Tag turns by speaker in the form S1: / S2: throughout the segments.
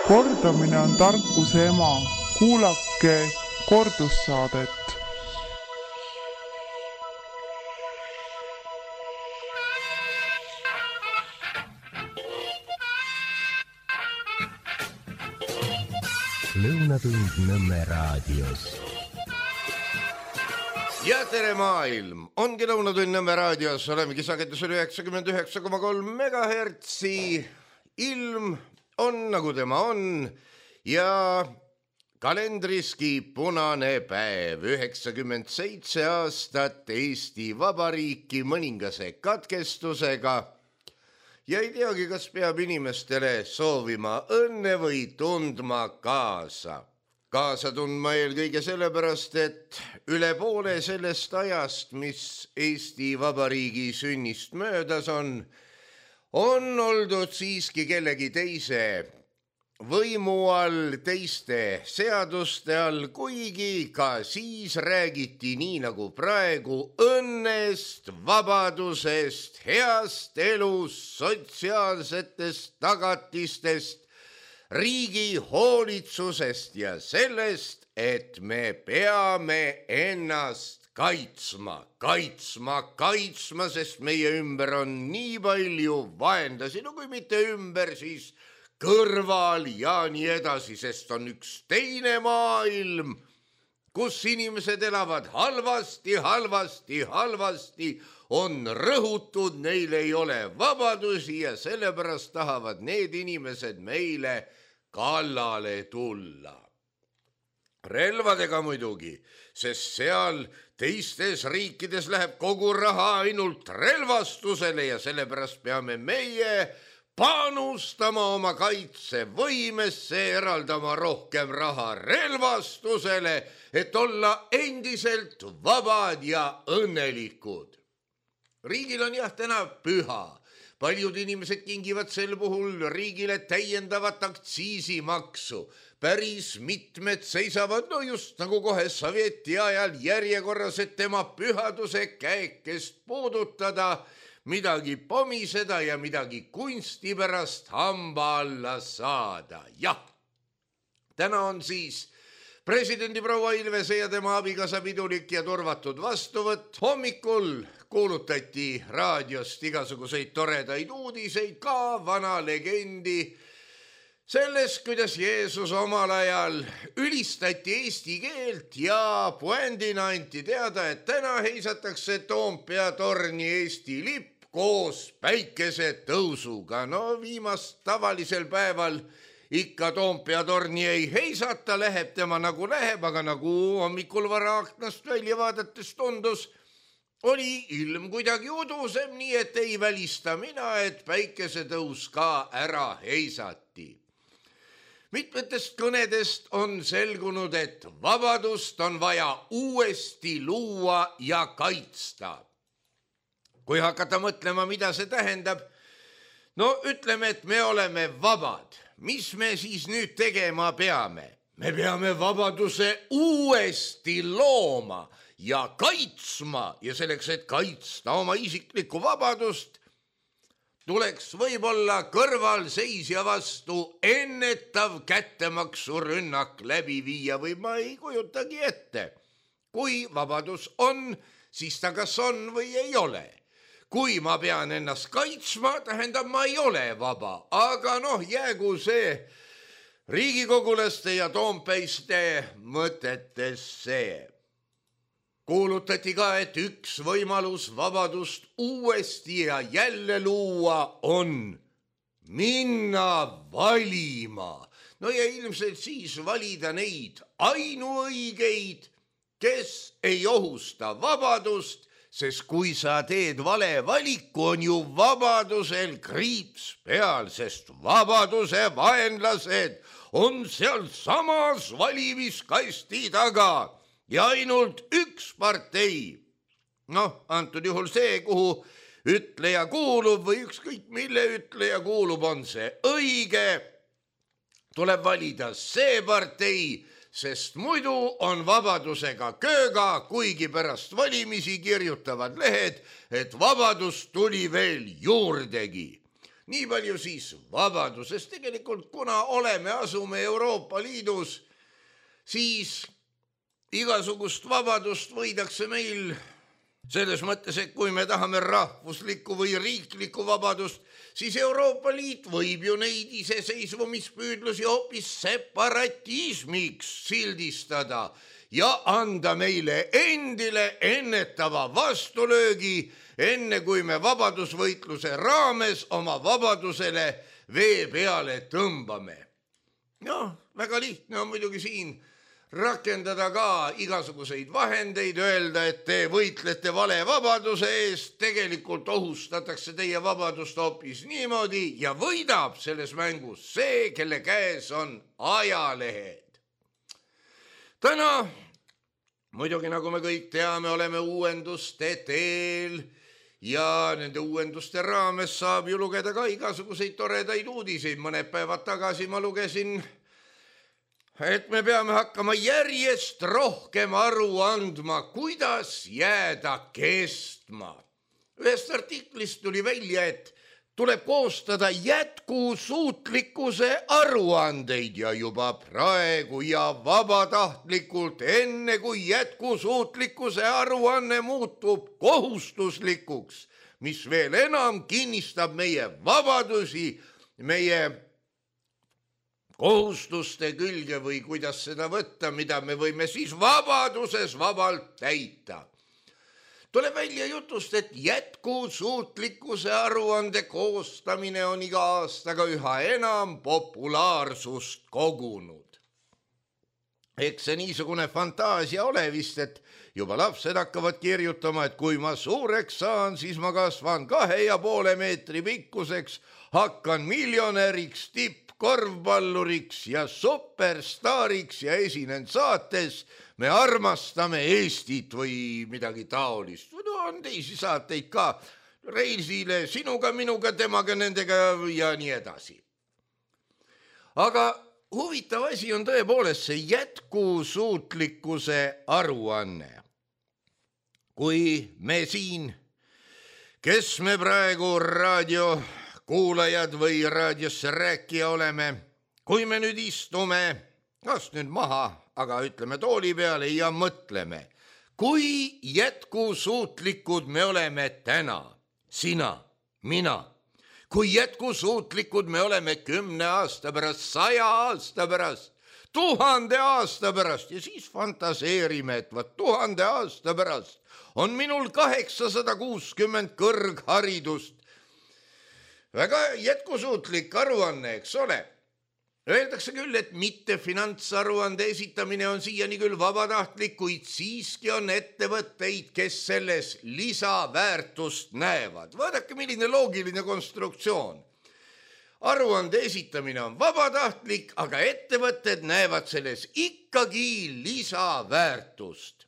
S1: Kordamine on tarkuse ema. Kuulake kordussaadet.
S2: Lõunatund Nõmme raadios.
S3: Ja tere maailm! Ongi Lõunatund Nõmme raadios. Olemegi sagedusel 99,3 MHz. Ilm on nagu tema on ja kalendriski punane päev. 97 aastat Eesti Vabariiki mõningase katkestusega. Ja ei teagi, kas peab inimestele soovima õnne või tundma kaasa. Kaasa tundma eelkõige sellepärast, et üle poole sellest ajast, mis Eesti Vabariigi sünnist möödas on oldud siiski kellegi teise võimu all, teiste seaduste all, kuigi ka siis räägiti nii nagu praegu õnnest, vabadusest, heast elust, sotsiaalsetest tagatistest, riigi hoolitsusest ja sellest, et me peame ennast kaitsma, sest meie ümber on nii palju vaenlasi, no kui mitte ümber, siis kõrval ja nii edasi, sest on üks teine maailm, kus inimesed elavad halvasti, on rõhutud, neil ei ole vabadusi ja sellepärast tahavad need inimesed meile kallale tulla. Relvadega muidugi, sest seal teistes riikides läheb kogu raha ainult relvastusele ja sellepärast peame meie panustama oma kaitsevõimesse, eraldama rohkem raha relvastusele, et olla endiselt vabad ja õnnelikud. Riigil on jah täna püha. Paljud inimesed kingivad sel puhul riigile täiendavat aktsiisimaksu. Päris mitmed seisavad, no just nagu kohe sovjeti ajal järjekorras, et tema pühaduse käekest puudutada, midagi pomiseda ja midagi kunsti pärast hamba alla saada. Jah, täna on siis presidendi proua Ilvese ja tema abikaasa pidulik ja turvatud vastuvõtt. Hommikul kuulutati raadiost igasuguseid toredaid uudiseid, ka vana legendi sellest, kuidas Jeesus omal ajal ülistati eesti keelt ja puändina anti teada, et täna heisatakse Toompea torni Eesti lipp koos päikesetõusuga. No viimast tavalisel päeval ikka Toompea torni ei heisata, läheb tema nagu läheb, aga nagu hommikul vara aknast välja vaadates tundus, oli ilm kuidagi udusem, nii et ei välista mina, et päikesetõus ka ära heisati. Mitmetest kõnedest on selgunud, et vabadust on vaja uuesti luua ja kaitsta. Kui hakata mõtlema, mida see tähendab, no ütleme, et me oleme vabad. Mis me siis nüüd tegema peame? Me peame vabaduse uuesti looma ja kaitsma ja selleks, et kaitsta oma isiklikku vabadust, tuleks võib-olla kõrvalseisja vastu ennetav kättemaksurünnak läbi viia või ma ei kujutagi ette. Kui vabadus on, siis ta kas on või ei ole. Kui ma pean ennast kaitsma, tähendab ma ei ole vaba, aga jäägu see riigikogulaste ja toompeiste mõtetesse. Kuulutati ka, et üks võimalus vabadust uuesti ja jälle luua on minna valima. No ja ilmselt siis valida neid ainuõigeid, kes ei ohusta vabadust, sest kui sa teed vale valiku, on ju vabadusel kriips peal, sest vabaduse vaenlased on seal samas valimiskasti taga ja ainult üks partei. Antud juhul see, kuhu ütleja kuulub või ükskõik mille ütleja kuulub, on see õige. Tuleb valida see partei, sest muidu on vabadusega kööga, kuigi pärast valimisi kirjutavad lehed, et vabadus tuli veel juurdegi. Nii palju siis vabadusest. Tegelikult kuna asume Euroopa Liidus, siis igasugust vabadust võidakse meil selles mõttes, et kui me tahame rahvuslikku või riiklikku vabadust, siis Euroopa Liit võib ju neid iseseisvumispüüdlusi hoopis separatismiks sildistada ja anda meile endile ennetava vastulöögi, enne kui me vabadusvõitluse raames oma vabadusele vee peale tõmbame. Väga lihtne on muidugi siin rakendada ka igasuguseid vahendeid, öelda, et te võitlete vale vabaduse eest, tegelikult ohustatakse teie vabadust hoopis niimoodi ja võidab selles mängus see, kelle käes on ajalehed. Täna, muidugi nagu me kõik teame, oleme uuenduste teel ja nende uuenduste raames saab ju lugeda ka igasuguseid toredaid uudiseid. Mõned päevad tagasi ma lugesin, et me peame hakkama järjest rohkem aru andma, kuidas jääda kestma. Ühest artiklist tuli välja, et tuleb koostada jätkusuutlikkuse aruandeid ja juba praegu ja vabatahtlikult, enne kui jätkusuutlikkuse aruanne muutub kohustuslikuks, mis veel enam kinnistab meie vabadusi, meie kohustuste külge või kuidas seda võtta, mida me võime siis vabaduses vabalt täita. Tuleb välja jutust, et jätkusuutlikkuse aruande koostamine on iga aastaga üha enam populaarsust kogunud. Eks see niisugune fantaasia ole vist, et juba lapsed hakkavad kirjutama, et kui ma suureks saan, siis ma kasvan 2,5 meetri pikkuseks, hakkan miljonäriks, korvpalluriks ja superstaariks ja esinen saates Me armastame Eestit või midagi taolist. No on teisi saateid ka, Reisile, sinuga, minuga, temaga, nendega ja nii edasi. Aga huvitav asi on tõepoolest see jätkusuutlikkuse aruanne. Kui me siin, kes me praegu raadiokuulajad või raadiosse rääkija oleme, kui me nüüd istume, kas nüüd maha, aga ütleme tooli peale ja mõtleme, kui jätkusuutlikud me oleme täna, sina, mina, kui jätkusuutlikud me oleme 10 aasta pärast, 100 aasta pärast, 1000 aasta pärast ja siis fantaseerime, et 1000 aasta pärast on minul 860 kõrgharidust. Väga jätkusuutlik aruanne, eks ole. Öeldakse küll, et mitte finantsaruande esitamine on siiani küll vabatahtlik, kuid siiski on ettevõtteid, kes selles lisaväärtust näevad. Vaadake, milline loogiline konstruktsioon. Aruande esitamine on vabatahtlik, aga ettevõtted näevad selles ikkagi lisaväärtust.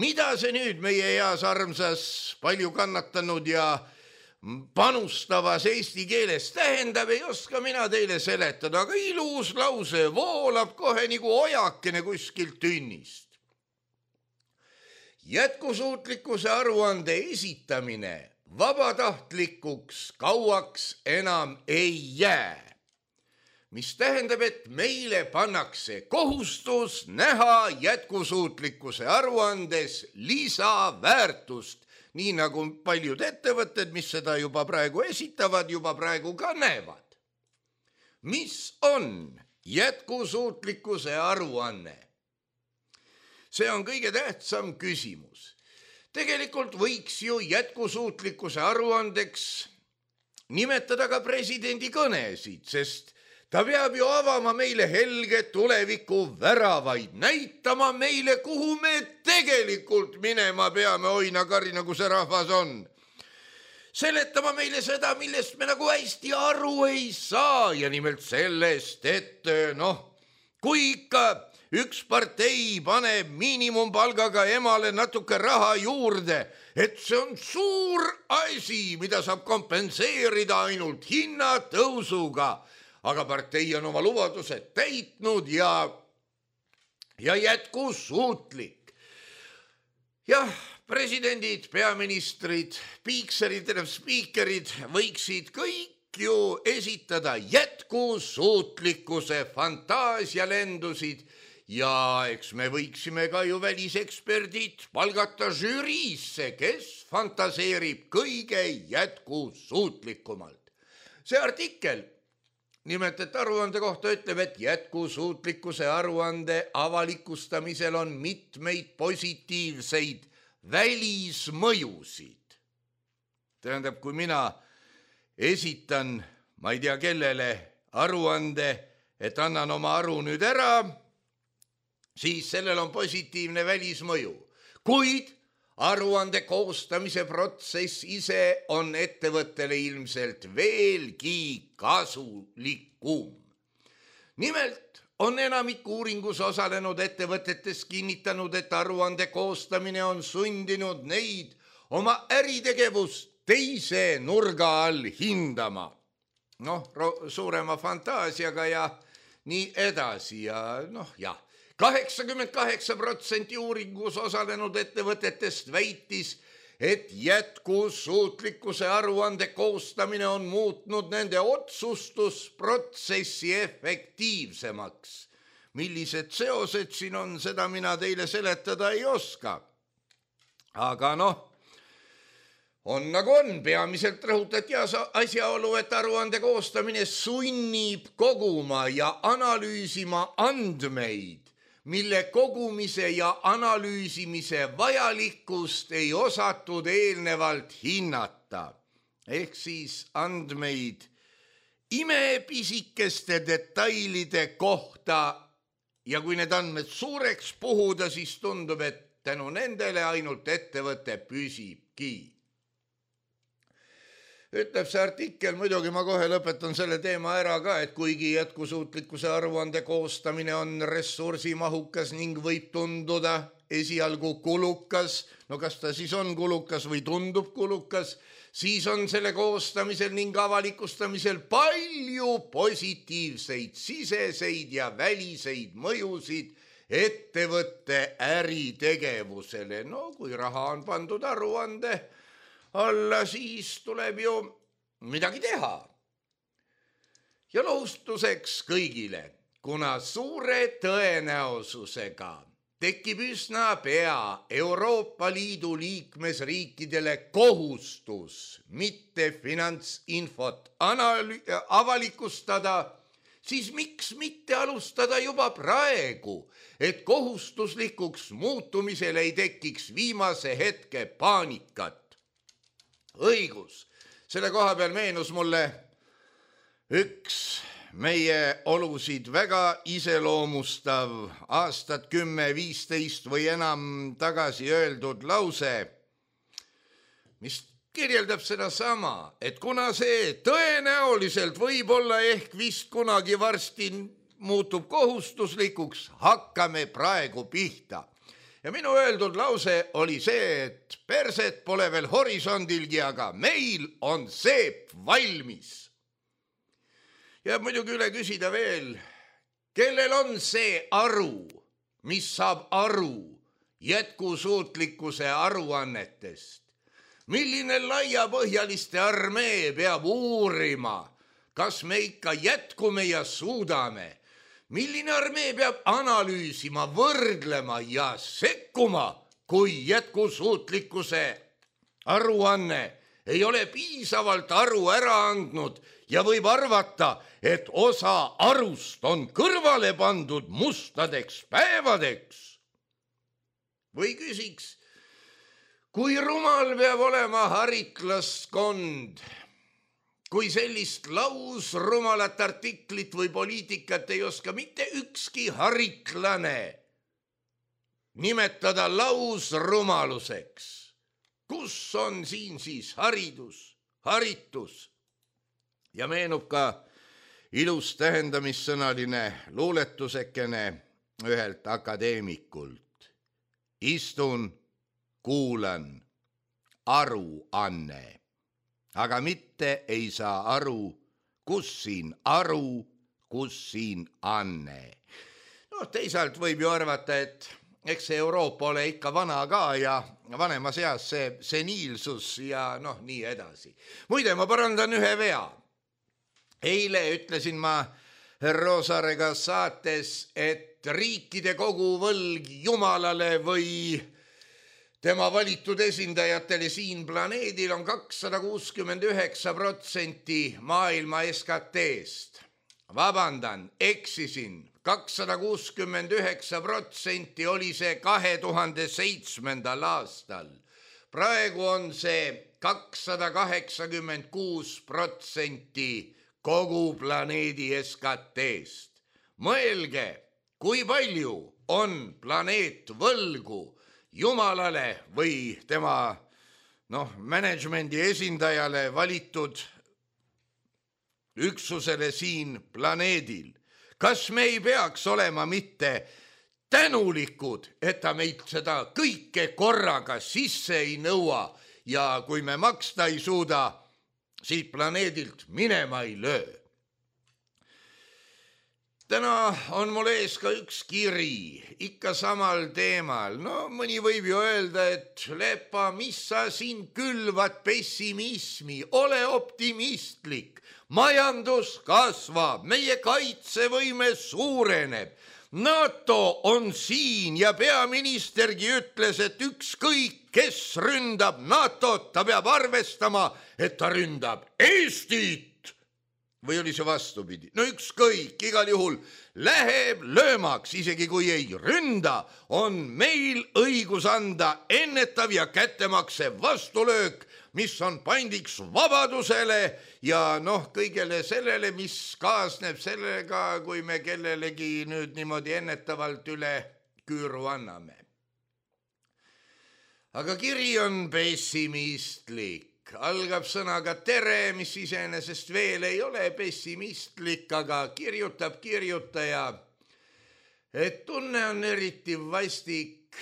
S3: Mida see nüüd meie heas armsas palju kannatanud ja panustavas eesti keeles tähendab, ei oska mina teile seletada, aga ilus lause voolab kohe nagu ojakene kuskilt tünnist. Jätkusuutlikkuse aruande esitamine vabatahtlikuks kauaks enam ei jää, mis tähendab, et meile pannakse kohustus näha jätkusuutlikkuse aruandes lisaväärtust, nii nagu paljud ettevõtted, mis seda juba praegu esitavad, juba praegu ka näevad. Mis on jätkusuutlikkuse aruanne? See on kõige tähtsam küsimus. Tegelikult võiks ju jätkusuutlikkuse aruandeks nimetada ka presidendi kõnesid, sest ta peab ju avama meile helge tuleviku väravaid, näitama meile, kuhu me tegelikult minema peame, oina-karina, kui see rahvas on. Seletama meile seda, millest me nagu hästi aru ei saa ja nimelt sellest, et kui ikka üks partei paneb miinimumpalgaga emale natuke raha juurde, et see on suur asi, mida saab kompenseerida ainult hinnatõusuga, aga partei on oma lubadused täitnud ja jätkusuutlik. Jah, presidendid, peaministrid, spiikerid võiksid kõik ju esitada jätkusuutlikkuse fantaasialendusid ja eks me võiksime ka ju väliseksperdid palgata žüriisse, kes fantaseerib kõige jätkusuutlikumalt. See artikkel nimelt, et aruande kohta ütleb, et jätkusuutlikkuse aruande avalikustamisel on mitmeid positiivseid välismõjusid. Tähendab, kui mina esitan, ma ei tea kellele, aruande, et annan oma aru nüüd ära, siis sellel on positiivne välismõju. Kuid aruande koostamise protsess ise on ettevõttele ilmselt veelgi kasulikum. Nimelt on enamik uuringus osalenud ettevõtetes kinnitanud, et aruande koostamine on sundinud neid oma äritegevust teise nurga all hindama. Suurema fantaasiaga ja nii edasi ja 88% uuringus osalenud ettevõtetest väitis, et jätkusuutlikkuse aruande koostamine on muutnud nende otsustusprotsessi efektiivsemaks. Millised seosed siin on, seda mina teile seletada ei oska. Aga on nagu on, peamiselt rõhutati asjaolu, et aruande koostamine sunnib koguma ja analüüsima andmeid, mille kogumise ja analüüsimise vajalikkust ei osatud eelnevalt hinnata. Ehk siis andmeid imepisikeste detailide kohta ja kui need andmed suureks puhuda, siis tundub, et tänu nendele ainult ettevõte püsibki. Ütleb see artikkel, muidugi ma kohe lõpetan selle teema ära ka, et kuigi jätkusuutlikkuse aruande koostamine on ressursimahukas ning võib tunduda esialgu kulukas, kas ta siis on kulukas või tundub kulukas, siis on selle koostamisel ning avalikustamisel palju positiivseid siseseid ja väliseid mõjusid ettevõtte äritegevusele. Kui raha on pandud aruande alla, siis tuleb ju midagi teha. Ja lohustuseks kõigile, kuna suure tõenäosusega tekib üsna pea Euroopa Liidu liikmesriikidele kohustus mitte finantsinfot avalikustada, siis miks mitte alustada juba praegu, et kohustuslikuks muutumisel ei tekiks viimase hetke paanikat. Õigus, selle koha peal meenus mulle üks meie olusid väga iseloomustav aastat 10-15 või enam tagasi öeldud lause, mis kirjeldab seda sama, et kuna see tõenäoliselt võib-olla ehk vist kunagi varsti muutub kohustuslikuks, hakkame praegu pihta. Ja minu öeldud lause oli see, et perset pole veel horisondilgi, aga meil on seep valmis. Ja muidugi üle küsida veel, kellel on see aru, mis saab aru jätkusuutlikkuse aruannetest? Milline laiapõhjaliste armee peab uurima, kas me ikka jätkume ja suudame? Milline armee peab analüüsima, võrdlema ja sekkuma, kui jätkusuutlikkuse aruanne ei ole piisavalt aru ära andnud ja võib arvata, et osa arust on kõrvale pandud mustadeks päevadeks? Või küsiks, kui rumal peab olema haritlaskond, kui sellist lausrumalat artiklit või poliitikat ei oska mitte ükski haritlane nimetada lausrumaluseks? Kus on siin siis haritus? Ja meenub ka ilus tähendamissõnaline luuletusekene ühelt akadeemikult. Istun, kuulan, aruanne. Aga mitte ei saa aru, kus siin aru, kus siin anne. Teisalt võib ju arvata, et eks see Euroopa ole ikka vana ka ja vanema seas see seniilsus ja nii edasi. Muide, ma parandan ühe vea. Eile ütlesin ma Roosaarega saates, et riikide koguvõlg Jumalale või tema valitud esindajatele siin planeedil on 269% maailma SKT-st. Vabandan, eksisin. 269% oli see 2007. aastal. Praegu on see 286% kogu planeedi SKT-st. Mõelge, kui palju on planeet võlgu Jumalale või tema managemendi esindajale valitud üksusele siin planeedil. Kas me ei peaks olema mitte tänulikud, et ta meilt seda kõike korraga sisse ei nõua ja kui me maksta ei suuda, siit planeedilt minema ei löö? Täna on mul ees ka üks kiri, ikka samal teemal. No mõni võib ju öelda, et Lepa, mis sa siin külvad pessimismi, ole optimistlik. Majandus kasvab, meie kaitsevõime suureneb. NATO on siin ja peaministergi ütles, et ükskõik, kes ründab NATO-t, ta peab arvestama, et ta ründab Eestit. Või oli see vastupidi? No ükskõik, igal juhul läheb löömaks, isegi kui ei ründa, on meil õigus anda ennetav ja kättemakse vastulöök, mis on pandiks vabadusele ja kõigele sellele, mis kaasneb sellega, kui me kellelegi nüüd niimoodi ennetavalt üle küüru anname. Aga kiri on pessimistlik. Algab sõnaga tere, mis iseenesest veel ei ole pessimistlik, aga kirjutab kirjutaja, et tunne on eriti vastik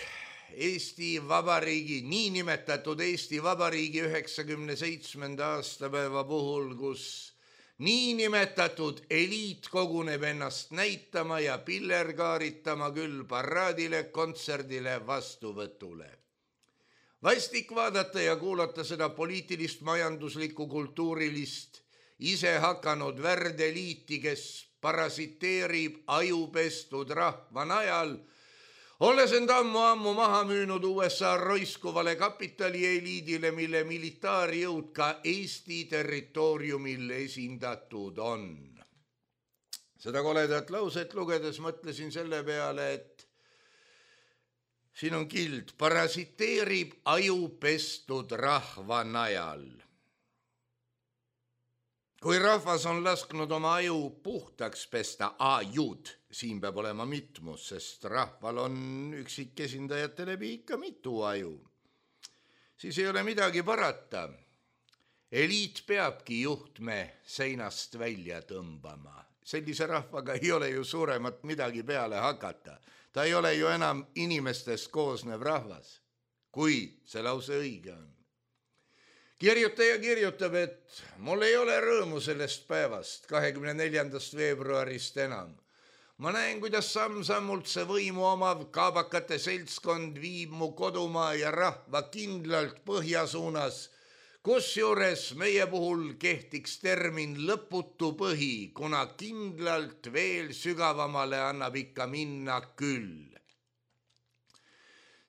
S3: Eesti Vabariigi, niinimetatud Eesti Vabariigi 97. aastapäeva puhul, kus niinimetatud eliit koguneb ennast näitama ja pillerkaaritama küll paraadile, kontserdile, vastuvõtule. Vastik vaadata ja kuulata seda poliitilist, majanduslikku, kultuurilist, ise hakanud värdeliiti, kes parasiteerib ajupestud rahva najal, olles end ammu maha müünud USA roiskuvale kapitalieliidile, mille militaarjõud ka Eesti territooriumil esindatud on. Seda koledat lauset lugedes mõtlesin selle peale, et siin on kild, parasiteerib ajupestud rahva najal. Kui rahvas on lasknud oma aju puhtaks pesta, ajud, siin peab olema mitmus, sest rahval on üksikesindajate läbi ikka mitu aju, siis ei ole midagi parata. Eliit peabki juhtme seinast välja tõmbama. Sellise rahvaga ei ole ju suuremat midagi peale hakata. Ta ei ole ju enam inimestest koosnev rahvas, kui see lause õige on. Kirjutaja kirjutab, et mul ei ole rõõmu sellest päevast, 24. veebruarist enam. Ma näen, kuidas samm-sammult see võimu omav kaabakate seltskond viib mu kodumaa ja rahva kindlalt põhja suunas, kusjuures meie puhul kehtiks termin lõputu põhi, kuna kindlalt veel sügavamale annab ikka minna küll.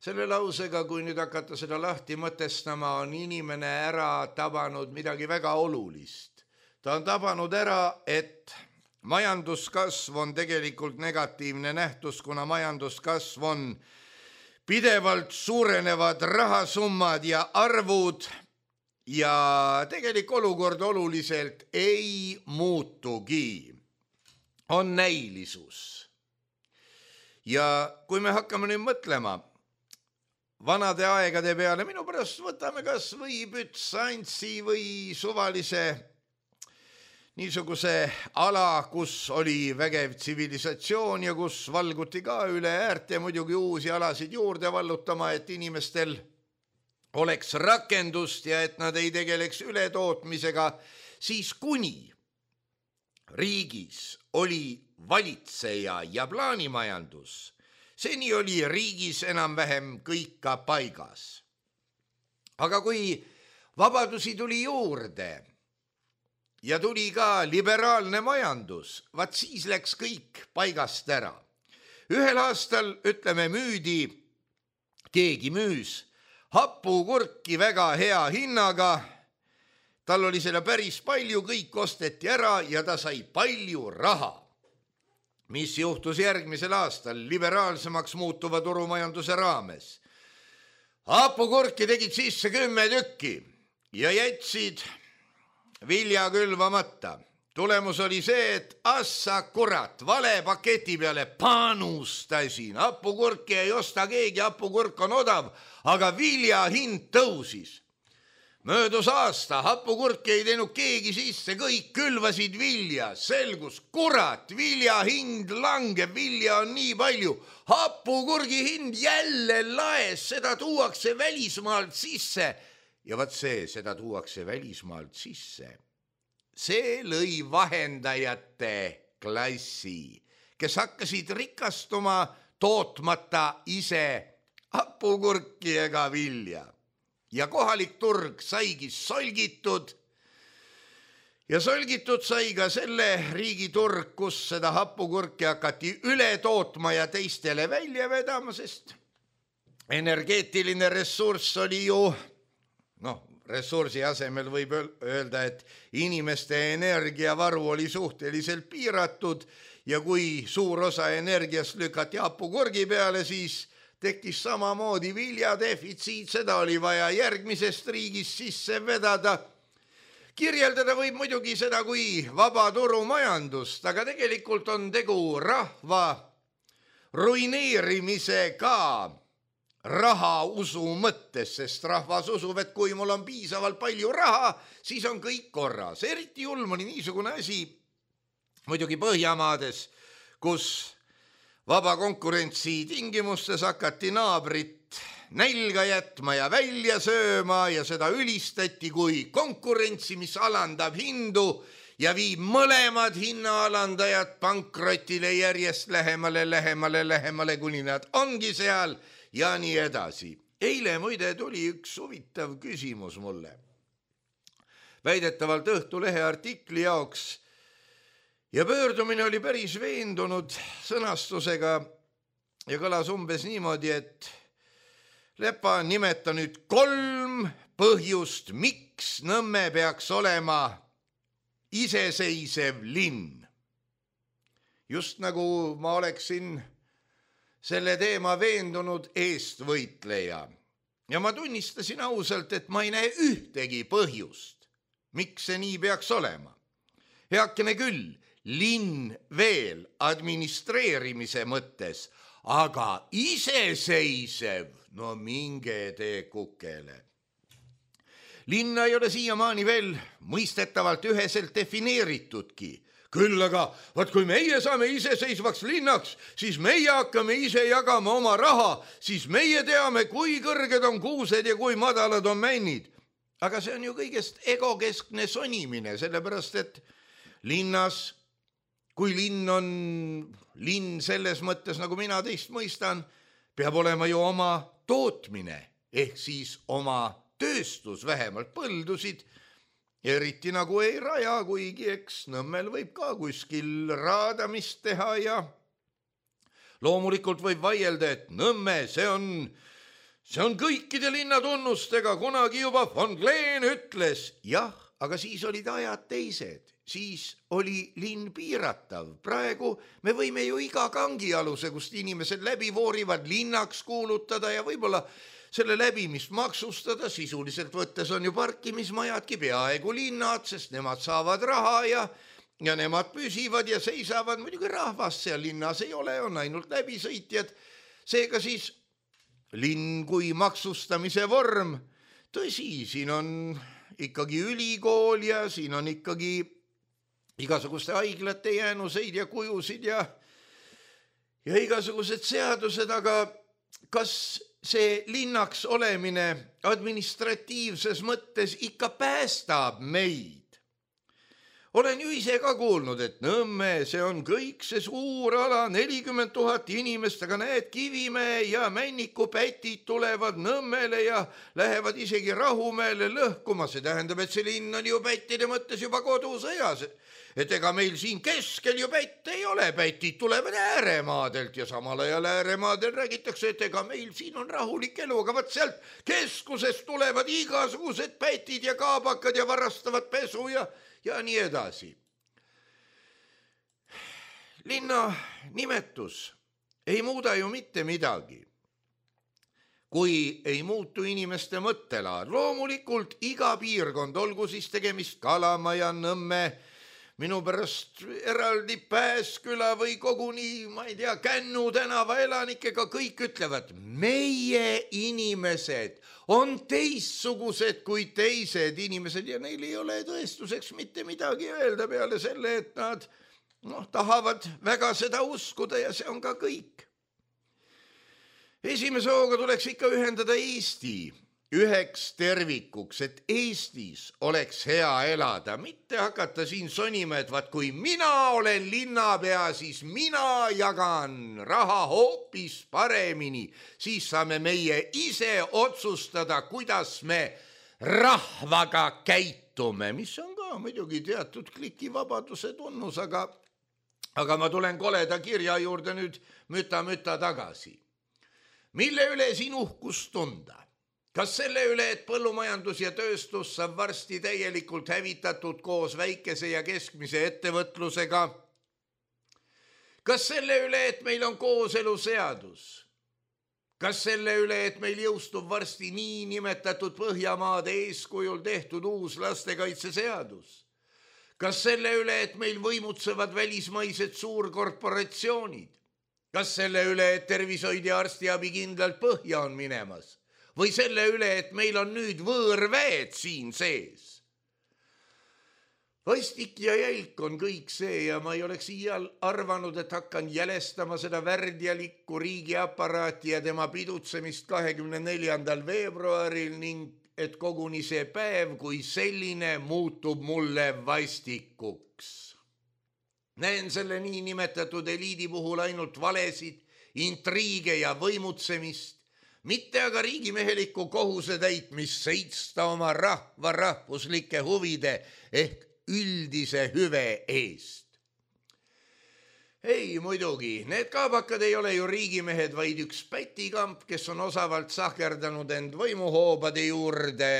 S3: Selle lausega, kui nüüd hakata seda lahti mõtestama, on inimene ära tabanud midagi väga olulist. Ta on tabanud ära, et majanduskasv on tegelikult negatiivne nähtus, kuna majanduskasv on pidevalt suurenevad rahasummad ja arvud, ja tegelik olukord oluliselt ei muutugi. On näilisus. Ja kui me hakkame nüüd mõtlema vanade aegade peale, minu pärast võtame kas või Bütsantsi või suvalise niisuguse ala, kus oli vägev tsivilisatsioon ja kus valguti ka üle äärte muidugi uusi alasid juurde vallutama, et inimestel oleks rakendust ja et nad ei tegeleks ületootmisega, siis kuni riigis oli valitseja ja plaanimajandus, seni oli riigis enam-vähem kõik ka paigas. Aga kui vabadusi tuli juurde ja tuli ka liberaalne majandus, vaat siis läks kõik paigast ära. Ühel aastal, ütleme, keegi müüs hapukurki väga hea hinnaga, tal oli selle päris palju, kõik osteti ära ja ta sai palju raha. Mis juhtus järgmisel aastal liberaalsemaks muutuva turumajanduse raames? Hapukurki tegid sisse 10 tükki ja jätsid vilja külvamata. Tulemus oli see, et assa kurat, vale paketi peale panustasin. Hapukurki ei osta keegi, hapukurk on odav, aga vilja hind tõusis. Möödus aasta, hapukurki ei teinud keegi sisse, kõik külvasid vilja. Selgus, kurat, vilja hind langeb, vilja on nii palju. Hapukurgi hind jälle laes, seda tuuakse välismaalt sisse. Ja vaat seda tuuakse välismaalt sisse. See lõi vahendajate klassi, kes hakkasid rikastuma tootmata ise hapukurki ega vilja. Ja kohalik turg saigi solgitud ja solgitud sai ka selle riigi turg, kus seda hapukurki hakati üle tootma ja teistele välja vedama, sest energeetiline ressurss oli ju, ressursi asemel võib öelda, et inimeste energiavaru oli suhteliselt piiratud ja kui suur osa energiast lükati hapukurgi peale, siis tekkis samamoodi viljadefitsiit, seda oli vaja järgmisest riigist sisse vedada. Kirjeldada võib muidugi seda kui vaba turumajandust, aga tegelikult on tegu rahva ruineerimisega rahausu mõttes, sest rahvas usub, et kui mul on piisavalt palju raha, siis on kõik korras. Eriti julm oli niisugune asi muidugi Põhjamaades, kus vaba konkurentsi tingimustes hakati naabrit nälga jätma ja välja sööma ja seda ülistati kui konkurentsi, mis alandab hindu ja viib mõlemad hinnaalandajad pankrotile järjest lähemale, kuni nad ongi seal ja nii edasi. Eile muide tuli üks huvitav küsimus mulle. Väidetavalt Õhtulehe artikli jaoks ja pöördumine oli päris veendunud sõnastusega ja kõlas umbes niimoodi, et Lepa, nimeta nüüd 3 põhjust, miks Nõmme peaks olema iseseisev linn. Just nagu ma oleksin selle teema veendunud eestvõitleja. Ja ma tunnistasin ausalt, et ma ei näe ühtegi põhjust, miks see nii peaks olema. Heakene küll, linn veel administreerimise mõttes, aga iseseisev, no minge tee kukele. Linna ei ole siiamaani veel mõistetavalt üheselt defineeritudki. Küll aga, vaat kui meie saame iseseisvaks linnaks, siis meie hakkame ise jagama oma raha, siis meie teame, kui kõrged on kuused ja kui madalad on männid. Aga see on ju kõigest egokeskne sonimine, sellepärast et linnas, kui linn on linn selles mõttes, nagu mina teist mõistan, peab olema ju oma tootmine, ehk siis oma tööstus, vähemalt põldusid, eriti nagu ei raja, kuigi eks Nõmmel võib ka kuskil raadamist teha ja loomulikult võib vaielda, et Nõmme, see on kõikide linnatunnustega, kunagi juba von Gleen ütles, jah, aga siis olid ajad teised, siis oli linn piiratav. Praegu me võime ju iga kangialuse, kust inimesed läbi voorivad, linnaks kuulutada ja võib-olla selle läbimist maksustada, sisuliselt võttes on ju parkimismajadki peaaegu linnad, sest nemad saavad raha ja nemad püsivad ja seisavad, muidugi rahvas seal linnas ei ole, on ainult läbisõitjad. Seega siis linn kui maksustamise vorm, tõsi, siin on ikkagi ülikool ja siin on ikkagi igasuguste haiglate jäänuseid ja kujusid ja igasugused seadused, aga kas see linnaks olemine administratiivses mõttes ikka päästab meid? olen ju ise ka kuulnud, et Nõmme, see on kõik see suur ala, 40 000 inimest, aga näed, Kivimäe ja Männiku pätid tulevad Nõmmele ja lähevad isegi Rahumäele lõhkuma. See tähendab, et see linn on ju pättide mõttes juba kodusõjas. Et ega meil siin keskel ju pätt ei ole, pätid tulevad ääremaadelt ja samal ajal ääremaadel räägitakse, et ega meil siin on rahulik elu, aga võt sealt keskusest tulevad igasugused pätid ja kaabakad ja varastavad pesu ja nii edasi. Linna nimetus ei muuda ju mitte midagi, kui ei muutu inimeste mõttelaad. Loomulikult iga piirkond, olgu siis tegemist Kalamaja, Nõmme, minu pärast eraldi Pääsküla või koguni, ma ei tea, Kännu tänava elanikega, kõik ütlevad, meie inimesed on teistsugused kui teised inimesed ja neil ei ole tõestuseks mitte midagi öelda peale selle, et nad tahavad väga seda uskuda ja see on ka kõik. Esimese hooga tuleks ikka ühendada Eesti üheks tervikuks, et Eestis oleks hea elada, mitte hakata siin sonima, et vaat kui mina olen linnapea, siis mina jagan raha hoopis paremini, siis saame meie ise otsustada, kuidas me rahvaga käitume, mis on ka muidugi teatud klikivabaduse tunnus, aga ma tulen koleda kirja juurde nüüd müta tagasi. Mille üle siin uhkust tunda? Kas selle üle, et põllumajandus ja tööstus saab varsti täielikult hävitatud koos väikese ja keskmise ettevõtlusega? Kas selle üle, et meil on kooseluseadus? Kas selle üle, et meil jõustub varsti nii nimetatud Põhjamaade eeskujul tehtud uus lastekaitseseadus? Kas selle üle, et meil võimutsevad välismaised suurkorporatsioonid? Kas selle üle, et tervishoid ja arstiabi kindlalt põhja on minemas? Või selle üle, et meil on nüüd võõrväed siin sees? Vastik ja jälk on kõik see ja ma ei oleks iial arvanud, et hakkan jälestama seda värdjalikku riigiaparaati ja tema pidutsemist 24. veebruaril ning et koguni see päev kui selline muutub mulle vastikuks. Näen selle nii nimetatud eliidi puhul ainult valesid, intriige ja võimutsemist, mitte aga riigimehelikku kohuse täitmist seista oma rahva rahvuslike huvide ehk üldise hüve eest. Ei, muidugi, need kaabakad ei ole ju riigimehed, vaid üks pätikamp, kes on osavalt sahkerdanud end võimuhoobade juurde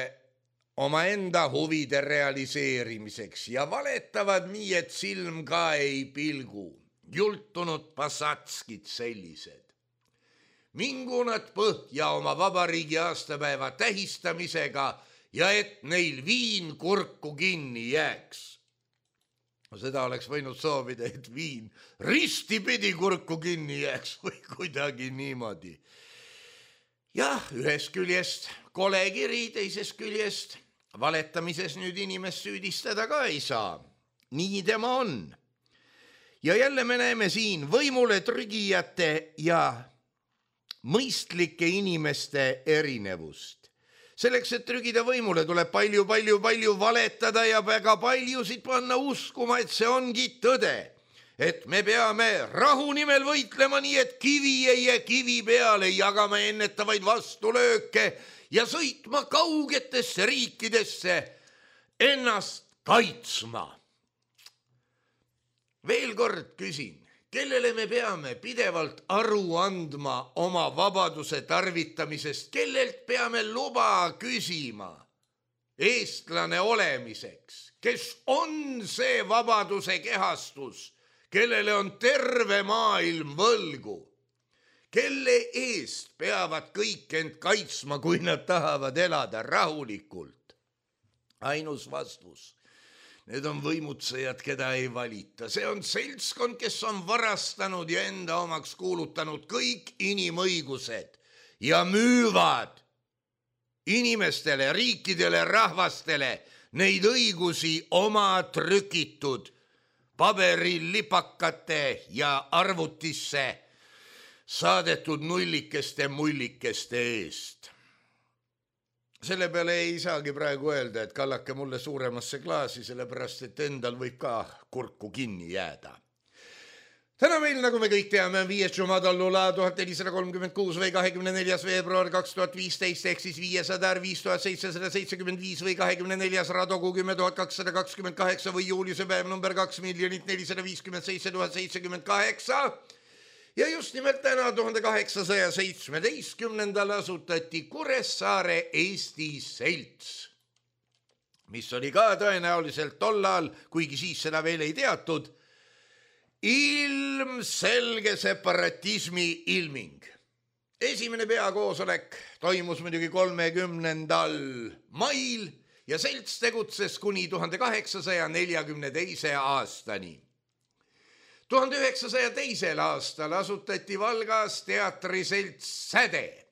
S3: omaenda huvide realiseerimiseks ja valetavad nii, et silm ka ei pilgu. Jultunud pasatskid sellised. Mingu nad põhja oma vabariigi aastapäeva tähistamisega ja et neil viin kurku kinni jääks. Seda oleks võinud soovida, et viin ristipidi kurku kinni jääks või kuidagi niimoodi. Jah, ühest küljest kolekiri, teisest küljest valetamises nüüd inimest süüdistada ka ei saa. Nii tema on. Ja jälle me näeme siin võimule trügijate ja mõistlike inimeste erinevust. Selleks, et trügida võimule, tuleb palju valetada ja väga paljusid panna uskuma, et see ongi tõde. Et me peame rahu nimel võitlema nii, et kivi ei jää kivi peale, jagama ennetavaid vastulööke ja sõitma kaugetesse riikidesse ennast kaitsma. Veel kord küsin. Kellele me peame pidevalt aru andma oma vabaduse tarvitamisest, kellelt peame luba küsima eestlane olemiseks, kes on see vabaduse kehastus, kellele on terve maailm võlgu, kelle eest peavad kõik end kaitsma, kui nad tahavad elada rahulikult. Ainus vastus. Need on võimutsejad, keda ei valita. See on seltskond, kes on varastanud ja enda omaks kuulutanud kõik inimõigused ja müüvad inimestele, riikidele, rahvastele neid õigusi oma trükitud paberilipakate ja arvutisse saadetud nullikeste mullikeste eest. selle peale ei saagi praegu öelda, et kallake mulle suuremasse klaasi, sellepärast et endal võib ka kurku kinni jääda. Täna meil, nagu me kõik teame, on 5. Jumadallula 1436 või 24. veebruar 2015 ehk siis 500 5775 või 24. Radogu 10228 või juuliuse päev number 2 457 078. Ja just nimelt täna 1817. asutati Kuressaare Eesti Selts, mis oli ka tõenäoliselt tollal, kuigi siis seda veel ei teatud, ilmselge separatismi ilming. Esimene peakoosolek toimus muidugi 30. mail ja selts tegutses kuni 1842. aastani. 1902. aastal asutati Valgas teatriselts Säde.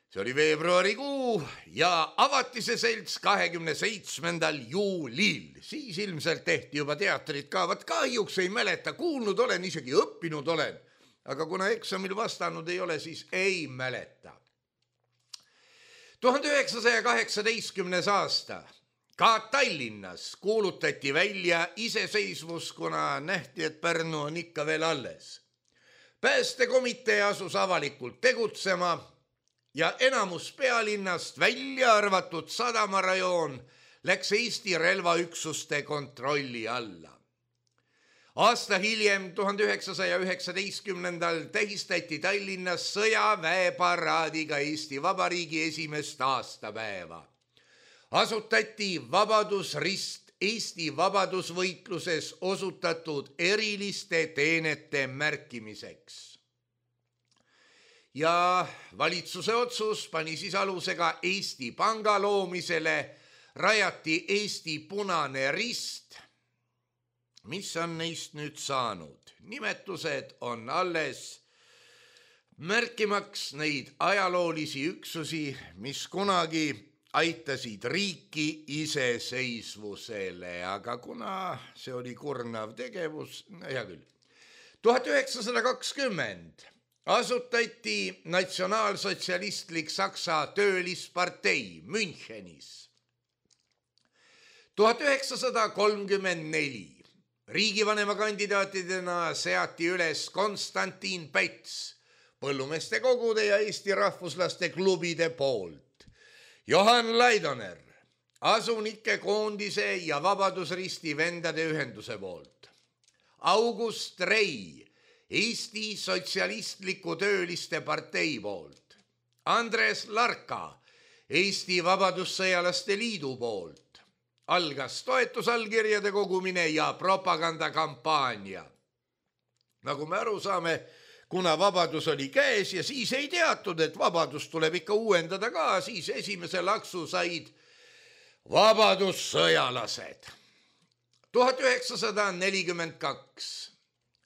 S3: See oli veebruarikuu ja avati see selts 27. juulil. Siis ilmselt tehti juba teatrit ka. Vat kahjuks ei mäleta, kuulnud olen, isegi õppinud olen. Aga kuna eksamil vastanud ei ole, siis ei mäleta. 1918. aasta. Ka Tallinnas kuulutati välja iseseisvus, kuna nähti, et Pärnu on ikka veel alles. Päästekomitee asus avalikult tegutsema ja enamus pealinnast, välja arvatud sadamarajoon, läks Eesti relvaüksuste kontrolli alla. Aasta hiljem, 1919. tähistati Tallinnas sõjaväeparaadiga Eesti Vabariigi esimest aastapäeva. Asutati Vabadusrist Eesti vabadusvõitluses osutatud eriliste teenete märkimiseks. Ja valitsuse otsus pani siis alusega Eesti Panga loomisele, rajati Eesti Punane Rist. Mis on neist nüüd saanud? Nimetused on alles märkimaks neid ajaloolisi üksusi, mis kunagi aitasid riiki iseseisvusele, aga kuna see oli kurnav tegevus, hea küll. 1920 asutati natsionaalsotsialistlik Saksa töölispartei Münchenis. 1934 riigivanema kandidaatidena seati üles Konstantin Päts põllumeeste kogude ja Eesti rahvuslaste klubide poolt. Johan Laidoner, Asunike koondise ja Vabadusristi vendade ühenduse poolt. August Rei, Eesti Sotsialistliku Tööliste partei poolt. Andres Larka, Eesti Vabadussõjalaste liidu poolt. Algas toetusallkirjade kogumine ja propagandakampaania. Nagu me aru saame, kuna vabadus oli käes ja siis ei teatud, et vabadus tuleb ikka uuendada ka, siis esimese laksu said vabadussõjalased. 1942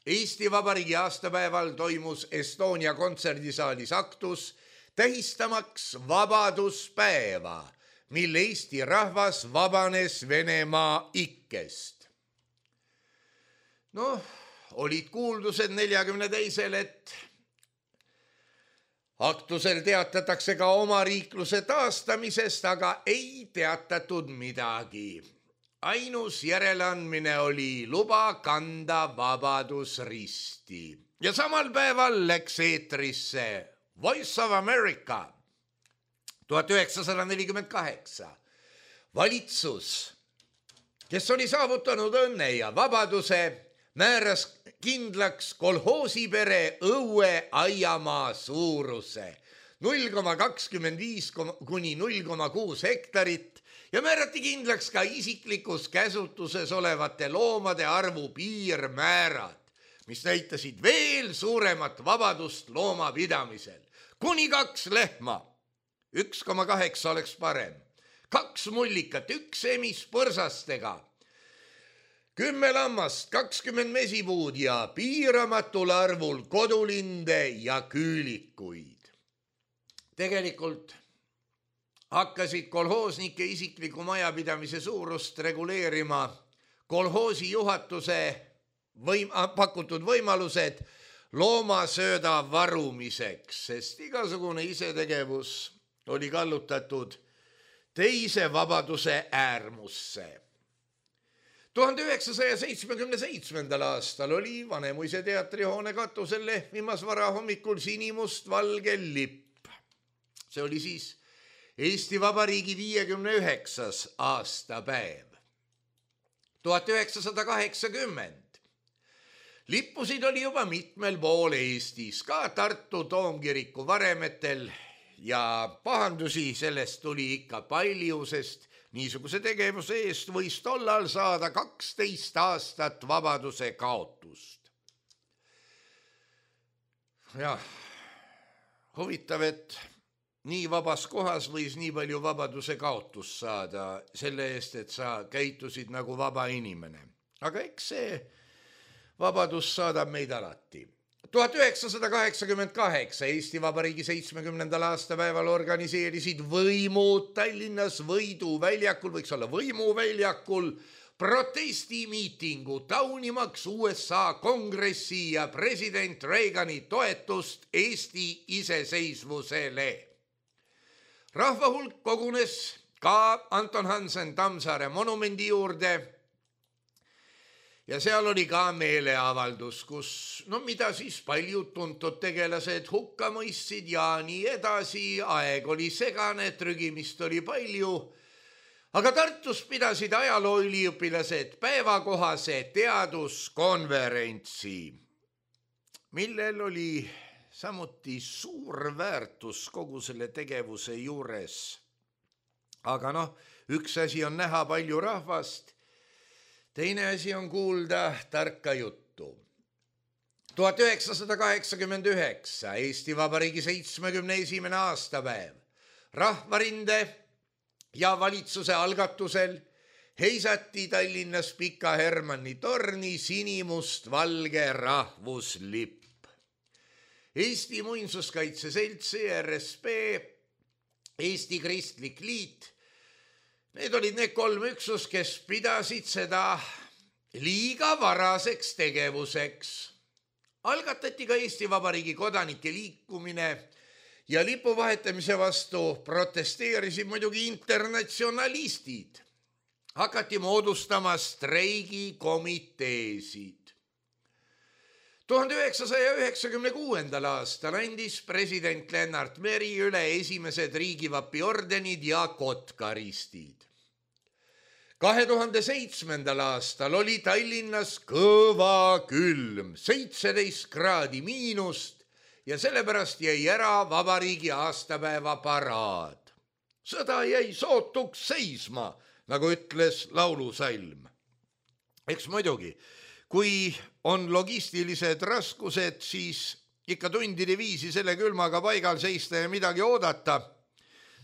S3: Eesti Vabariigi aastapäeval toimus Estonia kontserdisaalis aktus tähistamaks vabaduspäeva, mil Eesti rahvas vabanes Venemaa ikkest. Olid kuuldused 42. et aktusel teatatakse ka omariikluse taastamisest, aga ei teatatud midagi. Ainus järeleandmine oli luba kanda Vabadusristi. Ja samal päeval läks eetrisse Voice of America 1948. Valitsus, kes oli saavutanud õnne ja vabaduse, määras kindlaks kolhoosipere õue aiamaa suuruse 0,25 kuni 0,6 hektarit ja määrati kindlaks ka isiklikus käsutuses olevate loomade arvu piirmäärad, mis näitasid veel suuremat vabadust loomapidamisel. Kuni 2 lehma, 1,8 oleks parem, 2 mullikat, 1 emis põrsastega, 10 lammast, 20 mesipuud ja piiramatul arvul kodulinde ja küülikuid. Tegelikult hakkasid kolhoosnike isikliku majapidamise suurust reguleerima kolhoosi juhatuse pakutud võimalused loomasööda varumiseks, sest igasugune isetegevus oli kallutatud teise vabaduse äärmusse. 1977. aastal oli Vanemuise teatrihoone katusel lehvimas varahommikul sinimustvalge lipp. See oli siis Eesti Vabariigi 59. aastapäev. 1980. Lippusid oli juba mitmel pool Eestis, ka Tartu Toomkiriku varemetel ja pahandusi sellest tuli ikka palju, sest niisuguse tegevuse eest võis tollal saada 12 aastat vabaduse kaotust. Jah, huvitav, et nii vabas kohas võis nii palju vabaduse kaotust saada selle eest, et sa käitusid nagu vaba inimene. Aga eks see vabadus saadab meid alati. 1988 Eesti Vabariigi 70. aastapäeval organiseerisid võimud Tallinnas Võidu väljakul, võiks olla Võimuväljakul, protestimiitingu taunimaks USA kongressi ja president Reagani toetust Eesti iseseisvusele. Rahva hulk kogunes ka Anton Hansen Tammsaare monumendi juurde ja seal oli ka meeleavaldus, kus, mida siis paljud tuntud tegelased hukka mõistsid ja nii edasi, aeg oli segane, trügimist oli palju, aga Tartus pidasid ajalooüliõpilased päevakohase teaduskonverentsi, millel oli samuti suur väärtus kogu selle tegevuse juures. Aga üks asi on näha palju rahvast, teine asi on kuulda tarka juttu. 1989, Eesti Vabariigi 71. aastapäev. Rahvarinde ja valitsuse algatusel heisati Tallinnas Pika Hermanni torni sinimustvalge rahvuslipp. Eesti Muinsuskaitse Selts, ERSP, Eesti Kristlik Liit, need olid need 3 üksus, kes pidasid seda liiga varaseks tegevuseks. Algatati ka Eesti Vabariigi kodanike liikumine ja lipu vahetamise vastu protesteerisid muidugi internatsionalistid. Hakati moodustama streigikomiteesid. 1996. aastal andis president Lennart Meri üle esimesed riigivapi ordenid ja kotkaristid. 2007. aastal oli Tallinnas kõva külm, 17 kraadi miinust ja sellepärast jäi ära vabariigi aastapäeva paraad. Sõda jäi sootuks seisma, nagu ütles laulusalm. Eks muidugi, kui on logistilised raskused, siis ikka tundide viisi selle külmaga paigal seista ja midagi oodata.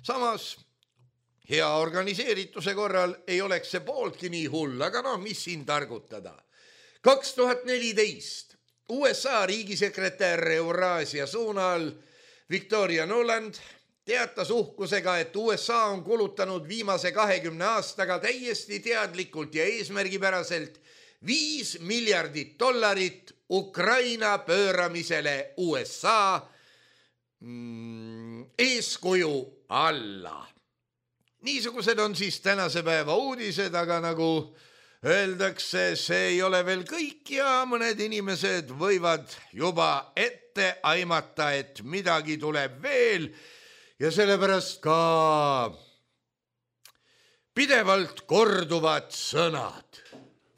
S3: Samas, hea organiseerituse korral ei oleks see pooltki nii hull, aga mis siin targutada. 2014 USA riigisekretär Euraasia suunal Victoria Nuland teatas uhkusega, et USA on kulutanud viimase 20 aastaga täiesti teadlikult ja eesmärgipäraselt $5 miljardit Ukraina pööramisele USA eeskuju alla. Niisugused on siis tänase päeva uudised, aga nagu öeldakse, see ei ole veel kõik ja mõned inimesed võivad juba ette aimata, et midagi tuleb veel ja sellepärast ka pidevalt korduvad sõnad.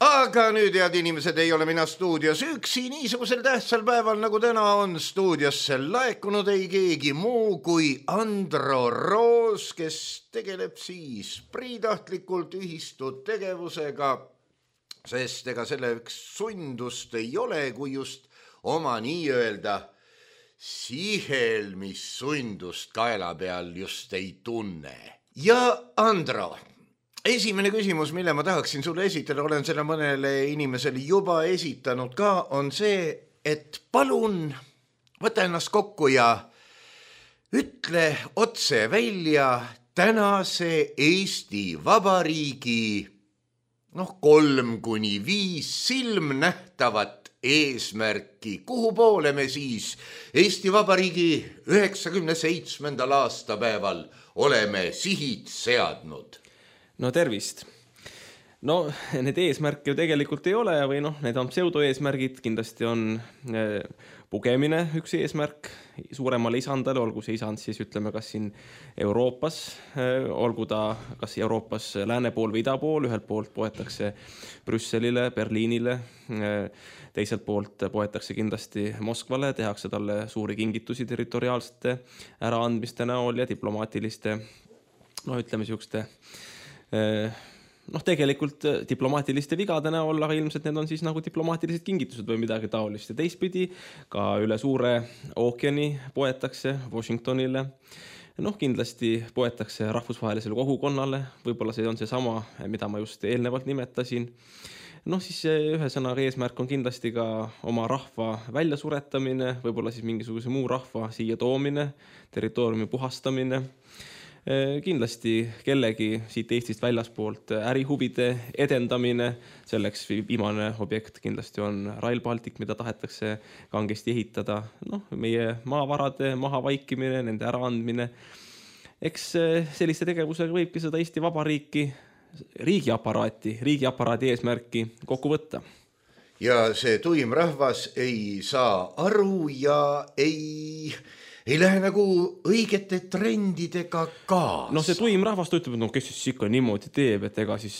S3: Aga nüüd, head inimesed, ei ole mina stuudios üksi, niisugusel tähtsal päeval, nagu täna on stuudiosse laekunud ei keegi muu kui Andro Roos, kes tegeleb siis priitahtlikult ühistud tegevusega, sest ega selleks sundust ei ole, kui just oma nii-öelda sihelmissundust kaela peal just ei tunne. Ja Andro, esimene küsimus, mille ma tahaksin sulle esitada, olen selle mõnele inimesele juba esitanud ka, on see, et palun võta ennast kokku ja ütle otse välja tänase Eesti Vabariigi 3-5 silmnähtavat eesmärki. Kuhu poole me siis Eesti Vabariigi 97. aastapäeval oleme sihid seadnud?
S4: No tervist! No need eesmärke ju tegelikult ei ole või need on pseudoeesmärgid, kindlasti on pugemine üks eesmärk suuremale isandale, olgu see isand siis ütleme kas siin Euroopas, olgu ta kas Euroopas lääne pool või ida pool, ühelt poolt poetakse Brüsselile, Berliinile, teiselt poolt poetakse kindlasti Moskvale, tehakse talle suuri kingitusi territoriaalsete äraandmiste näol ja diplomaatiliste, ütleme siukeste tegelikult diplomaatiliste vigade näol, aga ilmselt need on siis nagu diplomaatilised kingitused või midagi taolist. Ja teistpidi ka üle suure ookeani poetakse Washingtonile. Kindlasti poetakse rahvusvahelisele kogukonnale, võib-olla see on seesama, mida ma just eelnevalt nimetasin. Siis ühesõnaga eesmärk on kindlasti ka oma rahva väljasuretamine, võib-olla siis mingisuguse muu rahva siia toomine, territooriumi puhastamine. Kindlasti kellegi siit Eestist väljaspoolt ärihuvide edendamine, selleks viimane objekt kindlasti on Rail Baltic, mida tahetakse kangesti ehitada, meie maavarade mahavaikimine, nende äraandmine. Eks selliste tegevusega võibki seda Eesti Vabariiki, riigiaparaadi eesmärki kokku võtta.
S3: Ja see tuim rahvas ei saa aru ja ei lähe nagu õigete trendidega kaasa.
S4: See tuim rahvas ütleb, et kes siis ikka niimoodi teeb, et ega siis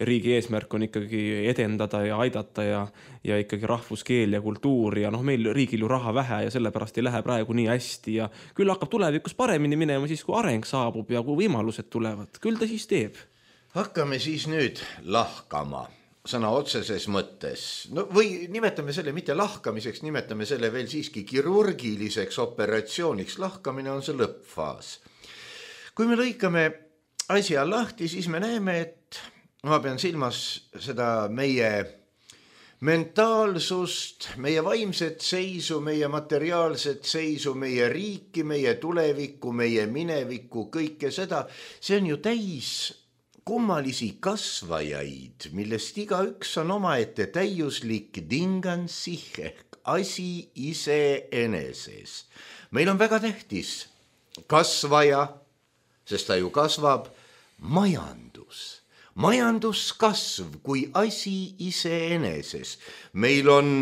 S4: riigi eesmärk on ikkagi edendada ja aidata ja ikkagi rahvuskeel ja kultuur ja meil riigil ju raha vähe ja sellepärast ei lähe praegu nii hästi ja küll hakkab tulevikus paremini minema siis, kui areng saabub ja kui võimalused tulevad. Küll ta siis teeb.
S3: Hakkame siis nüüd lahkama. Sõna otseses mõttes. Või nimetame selle mitte lahkamiseks, nimetame selle veel siiski kirurgiliseks operatsiooniks. Lahkamine on see lõppfaas. Kui me lõikame asja lahti, siis me näeme, et ma pean silmas seda meie mentaalsust, meie vaimset seisu, meie materiaalset seisu, meie riiki, meie tulevikku, meie minevikku, kõike seda. See on ju täis kummalisi kasvajaid, millest igaüks on omaette täiuslik dingansih ehk asi iseeneses. Meil on väga tähtis kasvaja, sest ta ju kasvab, majandus. Majanduskasv kui asi iseeneses. Meil on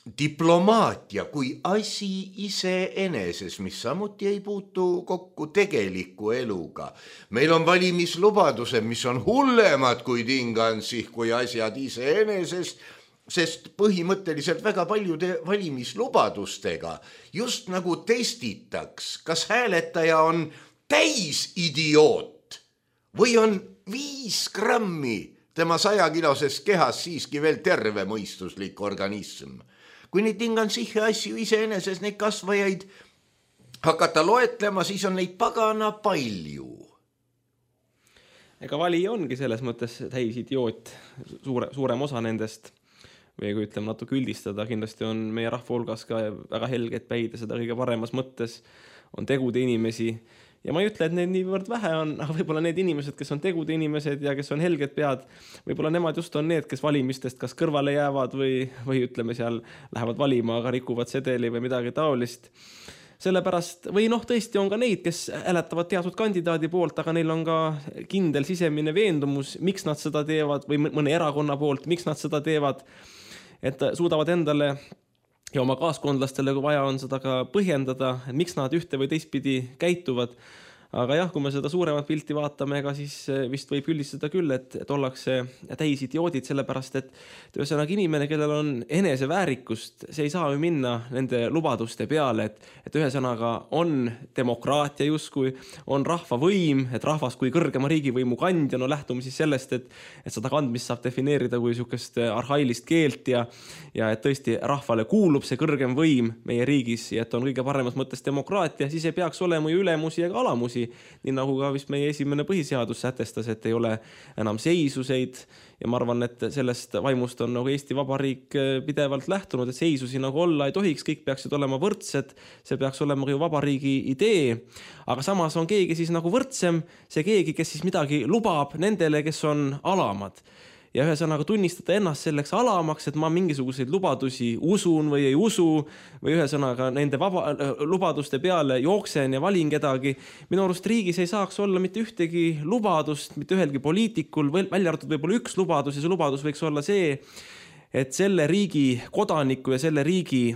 S3: diplomaatia kui asi iseeneses, mis samuti ei puutu kokku tegeliku eluga. Meil on valimislubadused, mis on hullemad kui dingansih, kui asjad iseeneses, sest põhimõtteliselt väga paljude valimislubadustega just nagu testitaks, kas hääletaja on täisidioot või on 5 grammi tema 100-kiloses kehas siiski veel terve mõistuslik organism. Kui neid dingansihe asju iseeneses neid kasvajaid hakata loetlema, siis on neid pagana palju.
S4: Ega valija ongi selles mõttes täisidioot, suurem osa nendest, või kui ütleme natuke üldistada, kindlasti on meie rahva hulgas ka väga helged päid ja seda kõige paremas mõttes on tegude inimesi. Ja ma ei ütle, et neid niivõrd vähe on, aga võib-olla need inimesed, kes on tegude inimesed ja kes on helged pead, võib-olla nemad just on need, kes valimistest kas kõrvale jäävad või ütleme seal lähevad valima, aga rikuvad sedeli või midagi taolist. Sellepärast, või tõesti on ka neid, kes hääletavad teatud kandidaadi poolt, aga neil on ka kindel sisemine veendumus, miks nad seda teevad või mõne erakonna poolt, miks nad seda teevad, et suudavad endale ja oma kaaskondlastele, kui vaja on seda ka põhjendada, et miks nad ühte või teistpidi käituvad. Aga jah, kui me seda suuremat pilti vaatame, ega siis vist võib üldistada küll, et ollakse täisidioodid, sellepärast et ühesõnaga inimene, kellel on eneseväärikust, see ei saa ju minna nende lubaduste peale, et ühesõnaga on demokraatia justkui, on rahva võim, et rahvas kui kõrgema riigivõimu kandja, lähtume siis sellest, et seda kandmist saab defineerida kui niisugust arhailist keelt ja et tõesti rahvale kuulub see kõrgem võim meie riigis ja et on kõige paremas mõttes demokraatia, siis ei peaks olema ju ülemusi ega alamusi, nii nagu ka vist meie esimene põhiseadus sätestas, et ei ole enam seisuseid ja ma arvan, et sellest vaimust on nagu Eesti Vabariik pidevalt lähtunud, et seisusi nagu olla ei tohiks, kõik peaksid olema võrdsed, see peaks olema ju vabariigi idee, aga samas on keegi siis nagu võrdsem, see keegi, kes siis midagi lubab nendele, kes on alamad. ja ühesõnaga tunnistada ennast selleks alamaks, et ma mingisuguseid lubadusi usun või ei usu või ühesõnaga nende lubaduste peale jooksen ja valin kedagi. Minu arust riigis ei saaks olla mitte ühtegi lubadust, mitte ühelgi poliitikul, välja arvatud võib-olla üks lubadus ja see lubadus võiks olla see, et selle riigi kodaniku ja selle riigi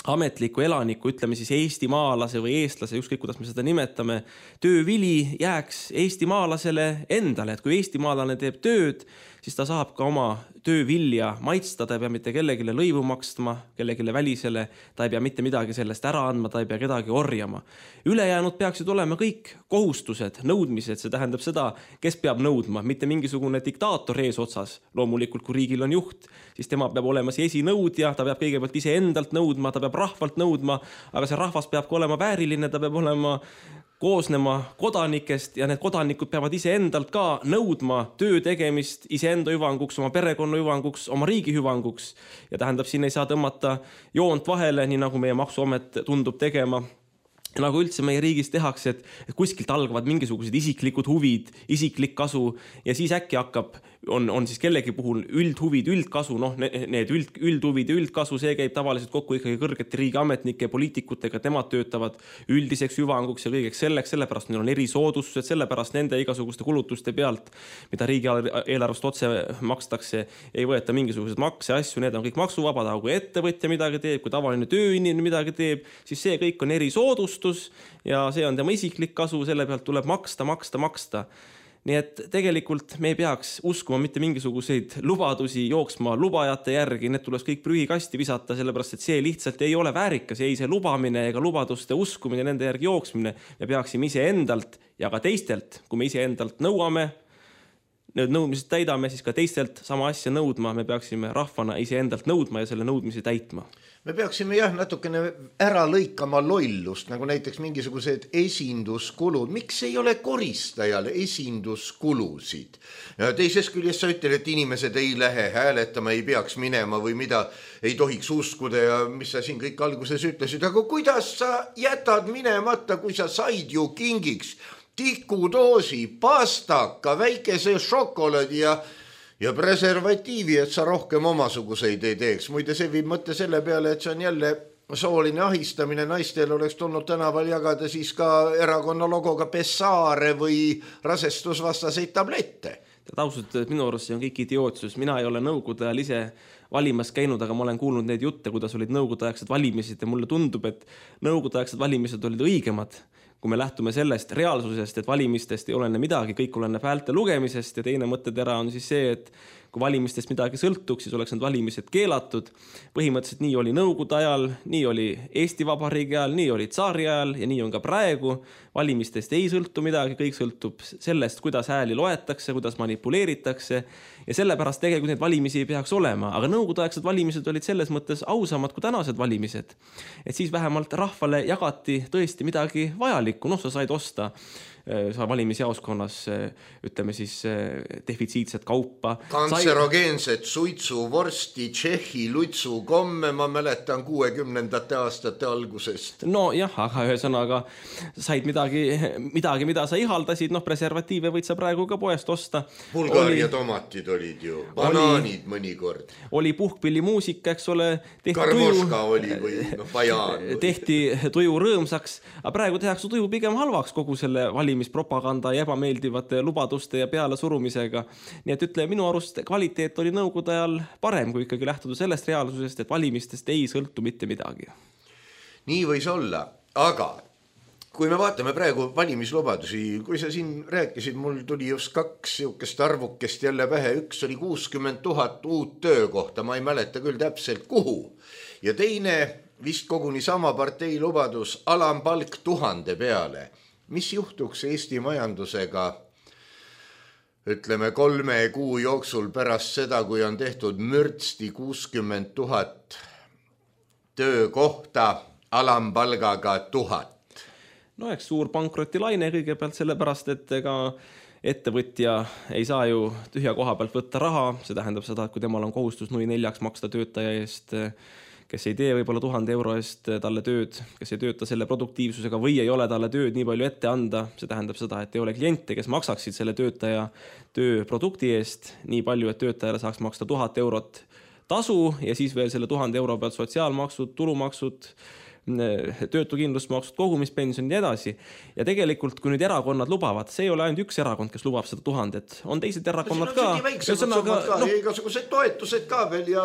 S4: ametliku elaniku, ütleme siis eestimaalase või eestlase, ükskõik kuidas me seda nimetame, töövili jääks eestimaalasele endale, et kui eestimaalane teeb tööd, siis ta saab ka oma töövilja maitsta, ta ei pea mitte kellegile lõivu makstma, kellegile välisele, ta ei pea mitte midagi sellest ära andma, ta ei pea kedagi orjama. Ülejäänud peaksid olema kõik kohustused, nõudmised, see tähendab seda, kes peab nõudma, mitte mingisugune diktaator ees otsas. Loomulikult, kui riigil on juht, siis tema peab olema see esinõudja, ta peab kõigepealt ise endalt nõudma, ta peab rahvalt nõudma, aga see rahvas peab ka olema vääriline, ta peab olema koosnema kodanikest ja need kodanikud peavad ise endalt ka nõudma töö tegemist iseenda hüvanguks, oma perekonna hüvanguks, oma riigi hüvanguks. Ja tähendab, siin ei saa tõmmata joont vahele, nii nagu meie maksuamet tundub tegema. Ja nagu üldse meie riigis tehakse, et kuskilt algavad mingisugused isiklikud huvid, isiklik kasu ja siis äkki hakkab, on siis kellegi puhul üldhuvid, üldkasu, need üldhuvid ja üldkasu, see käib tavaliselt kokku ikkagi kõrgete riigiametnike ja poliitikutega, nemad töötavad üldiseks hüvanguks ja kõigeks selleks, sellepärast neil on erisoodustused, sellepärast nende igasuguste kulutuste pealt, mida riigi eelarvest otse makstakse, ei võeta mingisuguseid makse, asju, need on kõik maksuvabad, aga kui ettevõtja midagi teeb, kui tavaline tööinimene midagi teeb, siis see kõik on erisoodustus ja see on tema isiklik kasu, selle pealt tuleb maksta. Nii et tegelikult me ei peaks uskuma mitte mingisuguseid lubadusi jooksma lubajate järgi, need tuleks kõik prügikasti visata, sellepärast et see lihtsalt ei ole väärikas, ei see lubamine ega lubaduste uskumine, nende järgi jooksmine. Me peaksime ise endalt ja ka teistelt, kui me ise endalt nõuame, need nõudmised täidame, siis ka teistelt sama asja nõudma, me peaksime rahvana ise endalt nõudma ja selle nõudmisi täitma.
S3: Me peaksime natukene ära lõikama lollust, nagu näiteks mingisugused esinduskulud. Miks ei ole koristajal esinduskulusid? Teises küljest sa ütled, et inimesed ei lähe hääletama, ei peaks minema või mida ei tohiks uskuda ja mis sa siin kõik alguses ütlesid. Aga kuidas sa jätad minemata, kui sa said ju kingiks tikudoosi, pastaka, väikese šokolaadi ja preservatiivi, et sa rohkem omasuguseid ei teeks. Muide, see viib mõtte selle peale, et see on jälle sooline ahistamine. Naistel oleks tulnud tänaval jagada siis ka erakonna logoga Pessaare või rasestusvastaseid tablette.
S4: Ausalt, minu arust see on kõik idiootsus. Mina ei ole nõukogude ajal ise valimas käinud, aga ma olen kuulnud neid jutte, kuidas olid nõukogudeaegsed valimised ja mulle tundub, et nõukogudeaegsed valimised olid õigemad. Kui me lähtume sellest reaalsusest, et valimistest ei olene midagi, kõik oleneb häälte lugemisest ja teine mõttetera on siis see, et kui valimistest midagi sõltuks, siis oleks need valimised keelatud. Põhimõtteliselt nii oli nõukogude ajal, nii oli Eesti Vabariigi ajal, nii oli tsaari ajal ja nii on ka praegu. Valimistest ei sõltu midagi, kõik sõltub sellest, kuidas hääli loetakse, kuidas manipuleeritakse ja sellepärast tegelikult neid valimisi ei peaks olema. Aga nõukogudeaegsed valimised olid selles mõttes ausamad kui tänased valimised. Et siis vähemalt rahvale jagati tõesti midagi vajalikku, sa said osta sa valimisjaoskonnas, ütleme siis defitsiitset kaupa.
S3: Kantserogeenset suitsu, vorsti, tšehhi, lutsu, komme, ma mäletan 60. aastate algusest.
S4: No jah, aga ühesõnaga said midagi, mida sa ihaldasid, preservatiive võid sa praegu ka poest osta.
S3: Bulgaaria tomatid olid ju, banaanid mõnikord.
S4: Oli puhkpillimuusika, eks ole.
S3: Karmoška oli või bajaan.
S4: Tehti tuju rõõmsaks, aga praegu tehakse tuju pigem halvaks kogu selle valimispropaganda ja ebameeldivate lubaduste ja peale surumisega. Nii et ütle, minu arust kvaliteet oli nõukogude ajal parem, kui ikkagi lähtuda sellest reaalsusest, et valimistest ei sõltu mitte midagi.
S3: Nii võis olla, aga kui me vaatame praegu valimislubadusi, kui sa siin rääkisid, mul tuli just 2 siukest arvukest jälle pähe, üks oli 60 000 uut töökohta, ma ei mäleta küll täpselt kuhu. Ja teine vist koguni sama partei lubadus, alampalk 1000 peale. Mis juhtuks Eesti majandusega, ütleme 3 kuu jooksul pärast seda, kui on tehtud mürtsti 60 000 töökohta alampalgaga 1000?
S4: No eks suur pankrotilaine kõigepealt sellepärast, et ega ettevõtja ei saa ju tühja koha pealt võtta raha, see tähendab seda, et kui temal on kohustus 0,4 maksta töötaja eest kes ei tee võib-olla 1000 euro eest talle tööd, kes ei tööta selle produktiivsusega või ei ole talle tööd nii palju ette anda. See tähendab seda, et ei ole kliente, kes maksaksid selle töötaja tööprodukti eest nii palju, et töötajale saaks maksta 1000 eurot tasu ja siis veel selle 1000 euro pealt sotsiaalmaksud, tulumaksud, töötukindlustusmaksud, kogumispension ja nii edasi. Ja tegelikult, kui nüüd erakonnad lubavad, see ei ole ainult üks erakond, kes lubab seda 1000, on teised erakonnad ka.
S3: Igasugused toetused ka veel ja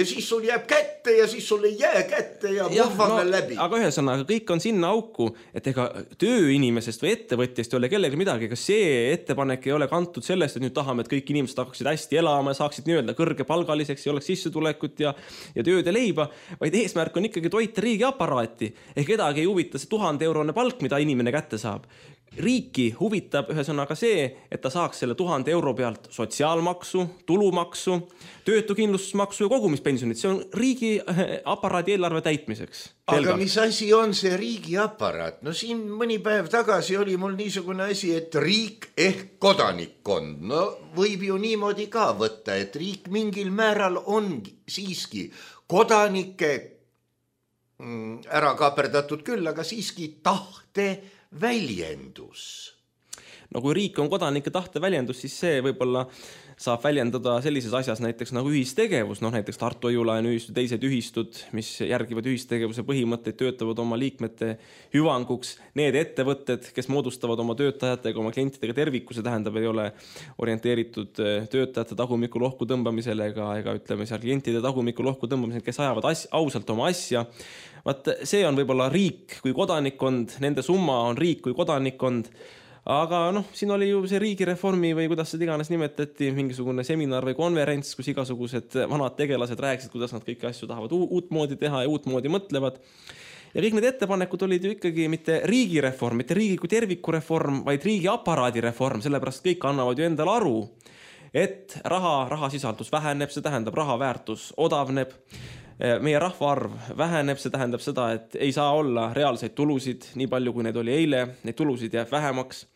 S3: siis sul jääb kätte ja siis sul ei jää kätte ja murvad veel läbi.
S4: Aga ühesõnaga, kõik on sinna auku, et ega tööinimesest või ettevõtjast ei ole kellegi midagi, ega see ettepanek ei ole kantud sellest, et nüüd tahame, et kõik inimesed hakkaksid hästi elama ja saaksid nii-öelda kõrgepalgaliseks ja oleks sissetulekut ja tööd ja leiba, vaid eesmärk on ikkagi toita riigi aparaati. Kedagi ei huvita see 1000 eurone palk, mida inimene kätte saab. Riiki huvitab ühesõnaga see, et ta saaks selle 1000 euro pealt sotsiaalmaksu, tulumaksu, töötukindlustusmaksu ja kogumispensionit. See on riigi aparaadi eelarve täitmiseks.
S3: Aga mis asi on see riigi aparaat? No siin mõni päev tagasi oli mul niisugune asi, et riik ehk kodanikkond. No võib ju niimoodi ka võtta, et riik mingil määral on siiski kodanike ära kaaperdatud küll, aga siiski tahte väljendus.
S4: No kui riik on kodanike tahte väljendus, siis see võib-olla saab väljendada sellises asjas näiteks nagu ühistegevus, näiteks Tartu Hoiulaen ühistud, teised ühistud, mis järgivad ühistegevuse põhimõtteid, töötavad oma liikmete hüvanguks. Need ettevõtted, kes moodustavad oma töötajatega, oma klientidega tervikuse, tähendab, ei ole orienteeritud töötajate tagumiku lohku tõmbamisele ega ütleme seal klientide tagumiku lohku tõmbamisele, kes ajavad ausalt oma asja. Vaat see on võib-olla riik kui kodanikkond, nende summa on riik kui kodanikkond. Aga siin oli ju see riigireformi või kuidas seda iganes nimetati, mingisugune seminar või konverents, kus igasugused vanad tegelased rääkisid, kuidas nad kõiki asju tahavad uutmoodi teha ja uutmoodi mõtlevad. Ja kõik need ettepanekud olid ju ikkagi mitte riigireform, mitte riigi kui terviku reform, vaid riigi aparaadi reform, sellepärast kõik annavad ju endale aru, et rahasisaldus väheneb, see tähendab raha väärtus odavneb. Meie rahvaarv väheneb, see tähendab seda, et ei saa olla reaalseid tulusid nii palju, kui need oli eile, neid tulusid jääb vähemaks.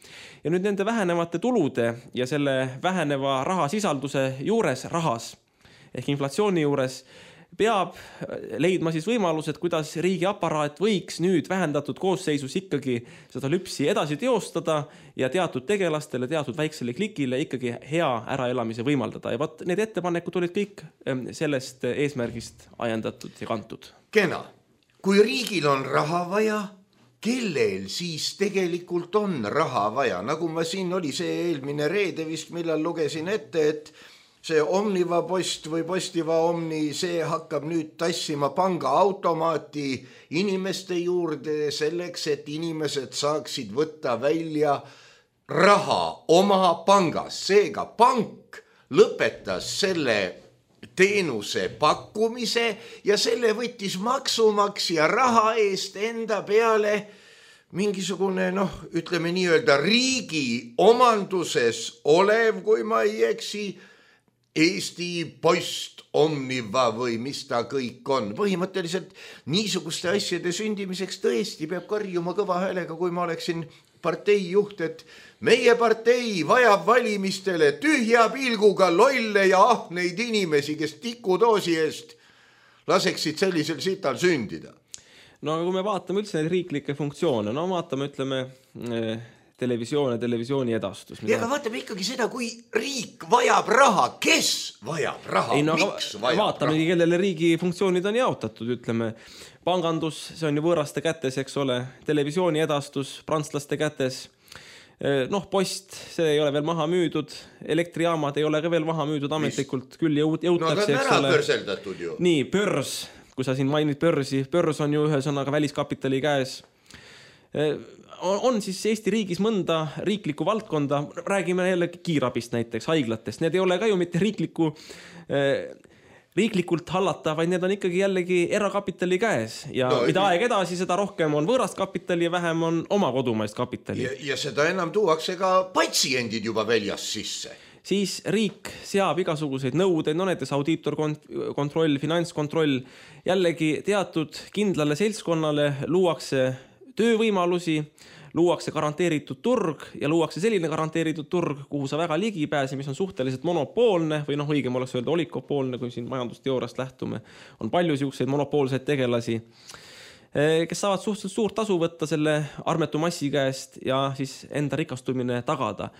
S4: Ja nüüd nende vähenevate tulude ja selle väheneva rahasisalduse juures rahas ehk inflatsiooni juures peab leidma siis võimalused, kuidas riigi aparaat võiks nüüd vähendatud koosseisus ikkagi seda lüpsi edasi teostada ja teatud tegelastele, teatud väiksele klikile ikkagi hea äraelamise võimaldada. Ja vaat need ettepanekud olid kõik sellest eesmärgist ajendatud ja kantud.
S3: Kena, kui riigil on raha vaja, kellel siis tegelikult on raha vaja? Nagu ma siin oli see eelmine reede vist, millal lugesin ette, et see Omniva post või Postiva Omni, see hakkab nüüd tassima pangaautomaati inimeste juurde selleks, et inimesed saaksid võtta välja raha oma pangas. Seega pank lõpetas selle teenuse pakkumise ja selle võttis maksumaksja raha eest enda peale mingisugune, ütleme nii-öelda riigi omanduses olev, kui ma ei eksi, Eesti Post, Omniva või mis ta kõik on. Põhimõtteliselt niisuguste asjade sündimiseks tõesti peab karjuma kõva häälega, kui ma oleksin partei juht, et meie partei vajab valimistele tühja pilguga lolle ja ahneid inimesi, kes tikudoosi eest laseksid sellisel sital sündida.
S4: No aga kui me vaatame üldse neid riiklikke funktsioone, vaatame, ütleme, televisiooni edastus.
S3: Ja aga vaatame ikkagi seda, kui riik vajab raha, kes vajab raha, miks vajab
S4: vaatame, raha? Kellele riigi funktsioonid on jaotatud, ütleme, pangandus, see on ju võõraste kätes, eks ole, televisiooni edastus, prantslaste kätes, post, see ei ole veel maha müüdud, elektrijaamad ei ole ka veel maha müüdud ametlikult, küll jõutakse,
S3: eks ole. Pörseldatud ju.
S4: Nii, börs, kui sa siin mainid börsi, börs on ju ühesõnaga väliskapitali käes. On siis Eesti riigis mõnda riiklikku valdkonda, räägime jälle kiirabist näiteks, haiglatest, need ei ole ka ju mitte riiklikult hallata, vaid need on ikkagi jällegi erakapitali käes ja mida aeg edasi, seda rohkem on võõrast kapitali ja vähem on oma kodumaist kapitali.
S3: Ja seda enam tuuakse ka patsiendid juba väljas sisse.
S4: Siis riik seab igasuguseid nõudeid, näiteks audiitorkontroll, finantskontroll, jällegi teatud kindlale seltskonnale luuakse töövõimalusi, luuakse garanteeritud turg ja luuakse selline garanteeritud turg, kuhu sa väga ligi pääsi, mis on suhteliselt monopoolne või õigem oleks öelda olikopoolne, kui siin majandusteooriast lähtume. On palju siukseid monopoolseid tegelasi, kes saavad suhteliselt suurt tasu võtta selle armetu massi käest ja siis enda rikastumine tagada.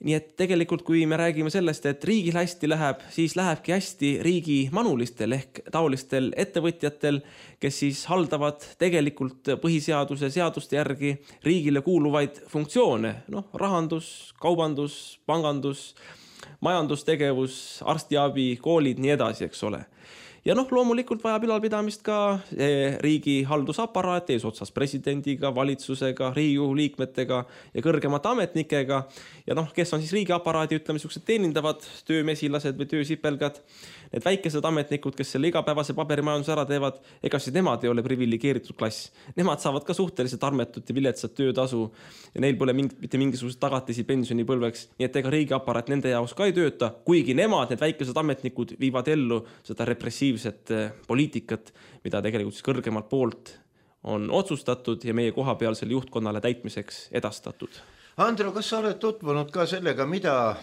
S4: Nii et tegelikult, kui me räägime sellest, et riigil hästi läheb, siis lähebki hästi riigi manulistel ehk taolistel ettevõtjatel, kes siis haldavad tegelikult põhiseaduse seaduste järgi riigile kuuluvaid funktsioone. Rahandus, kaubandus, pangandus, majandustegevus, arstiabi, koolid, nii edasi, eks ole. Ja loomulikult vajab ülalpidamist ka riigi haldusaparaat eesotsas presidendiga, valitsusega, Riigikogu liikmetega ja kõrgemate ametnikega. Ja kes on siis riigiaparaadi, ütleme, sellised teenindavad töömesilased või töösipelgad, need väikesed ametnikud, kes selle igapäevase paberimajanduse ära teevad, ega siis nemad ei ole privilegeeritud klass. Nemad saavad ka suhteliselt armetut ja viletsat töötasu ja neil pole mitte mingisugused tagatisi pensionipõlveks, nii et ega riigiaparaat nende jaoks ka ei tööta, kuigi nemad, need väikesed ametnikud, viivad ellu seda repressiivset poliitikat, mida tegelikult siis kõrgemalt poolt on otsustatud ja meie kohapealsele juhtkonnale täitmiseks edastatud.
S3: Andro, kas sa oled tutvunud ka sellega, mida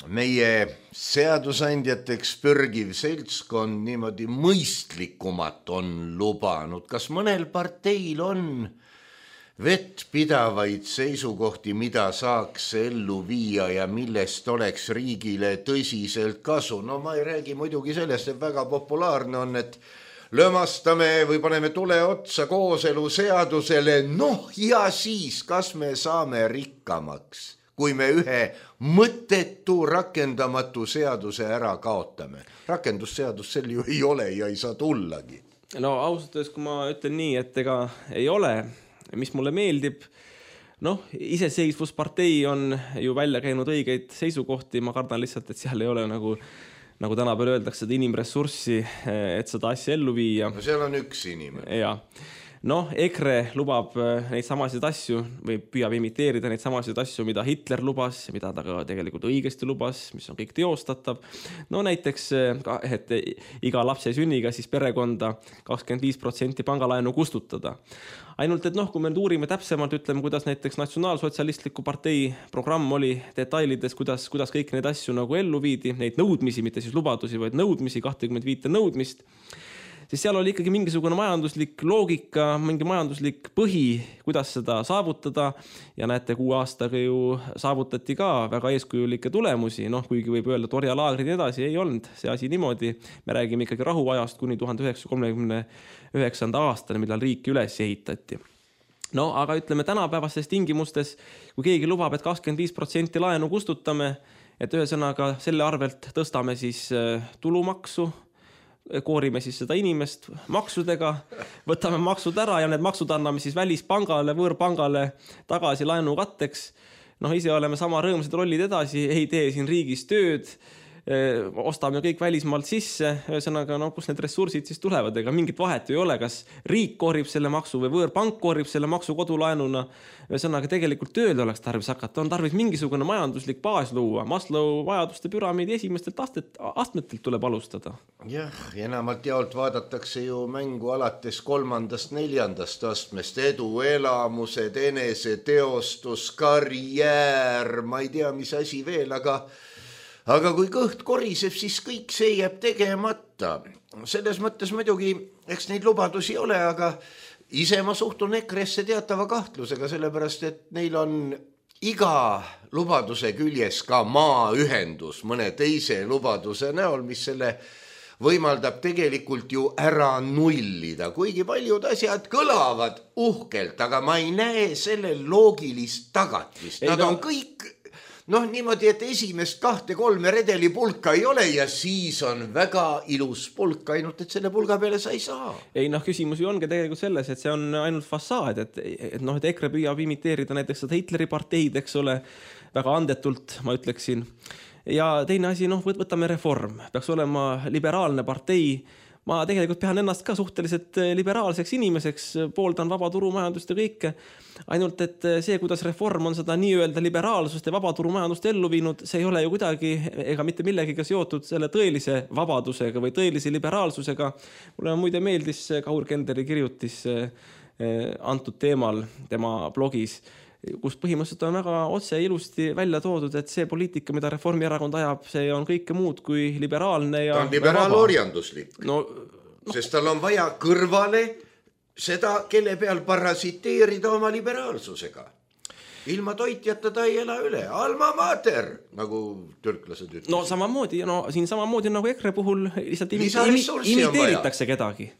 S3: meie seadusandjateks pürgiv seltskond niimoodi mõistlikumat on lubanud? Kas mõnel parteil on vettpidavaid seisukohti, mida saaks ellu viia ja millest oleks riigile tõsiselt kasu? Ma ei räägi muidugi sellest, et väga populaarne on, et lömastame või paneme tule otsa kooselu seadusele, ja siis kas me saame rikkamaks, kui me ühe mõttetu rakendamatu seaduse ära kaotame. Rakendusseadus sel ju ei ole ja ei saa tullagi.
S4: Ausalt, kui ma ütlen nii, et ega ei ole, mis mulle meeldib, iseseisvuspartei on ju välja käinud õigeid seisukohti, ma kardan lihtsalt, et seal ei ole nagu tänapäeval öeldakse seda inimressurssi, et seda asja ellu viia.
S3: Seal on üks inimene.
S4: Ja. EKRE lubab neid samasid asju või püüab imiteerida neid samasid asju, mida Hitler lubas ja mida ta ka tegelikult õigesti lubas, mis on kõik teostatav. Näiteks, et iga lapse sünniga siis perekonda 25% pangalaenu kustutada. Ainult, et kui me uurime täpsemalt, ütleme, kuidas näiteks natsionaalsotsialistliku partei programm oli detailides, kuidas kõik neid asju ellu viidi, neid nõudmisi, mitte siis lubadusi, vaid nõudmisi, 25 nõudmist, siis seal oli ikkagi mingisugune majanduslik loogika, mingi majanduslik põhi, kuidas seda saavutada ja näete, 6 aastaga ju saavutati ka väga eeskujulikke tulemusi, kuigi võib öelda, et orjalaagrid ja edasi ei olnud see asi niimoodi. Me räägime ikkagi rahuajast kuni 1939. aastani, millal riiki üles ehitati. Aga ütleme tänapäevastes tingimustes, kui keegi lubab, et 25% laenu kustutame, et ühesõnaga selle arvelt tõstame siis tulumaksu, koorime siis seda inimest maksudega, võtame maksud ära ja need maksud anname siis välispangale, võõrpangale tagasi laenu katteks. Ise oleme sama rõõmsad rollid edasi, ei tee siin riigis tööd, ostame kõik välismaalt sisse, ühesõnaga, kus need ressursid siis tulevad, ega mingit vahet ei ole, kas riik koorib selle maksu või võõrpank koorib selle maksu kodulaenuna, ühesõnaga tegelikult tööl oleks tarvis hakata, on tarvis mingisugune majanduslik baas luua, Maslow vajaduste püramiidi esimestelt astmetelt tuleb alustada.
S3: Jah, enamalt jaolt vaadatakse ju mängu alates 3.–4. astmest, edu, elamused, eneseteostus, karjäär, ma ei tea, mis asi veel, aga kui kõht koriseb, siis kõik see jääb tegemata. Selles mõttes muidugi, eks neid lubadusi ole, aga ise ma suhtun EKRE-sse teatava kahtlusega, sellepärast, et neil on iga lubaduse küljes ka maaühendus mõne teise lubaduse näol, mis selle võimaldab tegelikult ju ära nullida. Kuigi paljud asjad kõlavad uhkelt, aga ma ei näe sellel loogilist tagatist. Nad on kõik niimoodi, et esimest 2-3 redeli pulka ei ole ja siis on väga ilus pulk, ainult et selle pulga peale sa ei saa.
S4: Ei, küsimus ju ongi tegelikult selles, et see on ainult fassaad, et EKRE püüab imiteerida näiteks seda Hitleri parteid, eks ole, väga andetult, ma ütleksin. Ja teine asi, võtame reform, peaks olema liberaalne partei. Ma tegelikult pean ennast ka suhteliselt liberaalseks inimeseks, pooldan vabaturumajandust ja kõike. Ainult, et see, kuidas reform on seda nii-öelda liberaalsust ja vabaturumajandust ellu viinud, see ei ole ju kuidagi ega mitte millegiga seotud selle tõelise vabadusega või tõelise liberaalsusega. Mulle muide meeldis Kaur Kenderi kirjutis antud teemal tema blogis, kus põhimõtteliselt on väga otse ilusti välja toodud, et see poliitika, mida Reformierakond ajab, see on kõike muud kui liberaalne ja
S3: ta on liberaalorjanduslik. Sest tal on vaja kõrvale seda, kelle peal parasiteerida oma liberaalsusega. Ilma toitjata ta ei ela üle. Alma mater, nagu türklased ütlesid.
S4: No samamoodi, siin samamoodi nagu EKRE puhul lihtsalt imiteeritakse kedagi.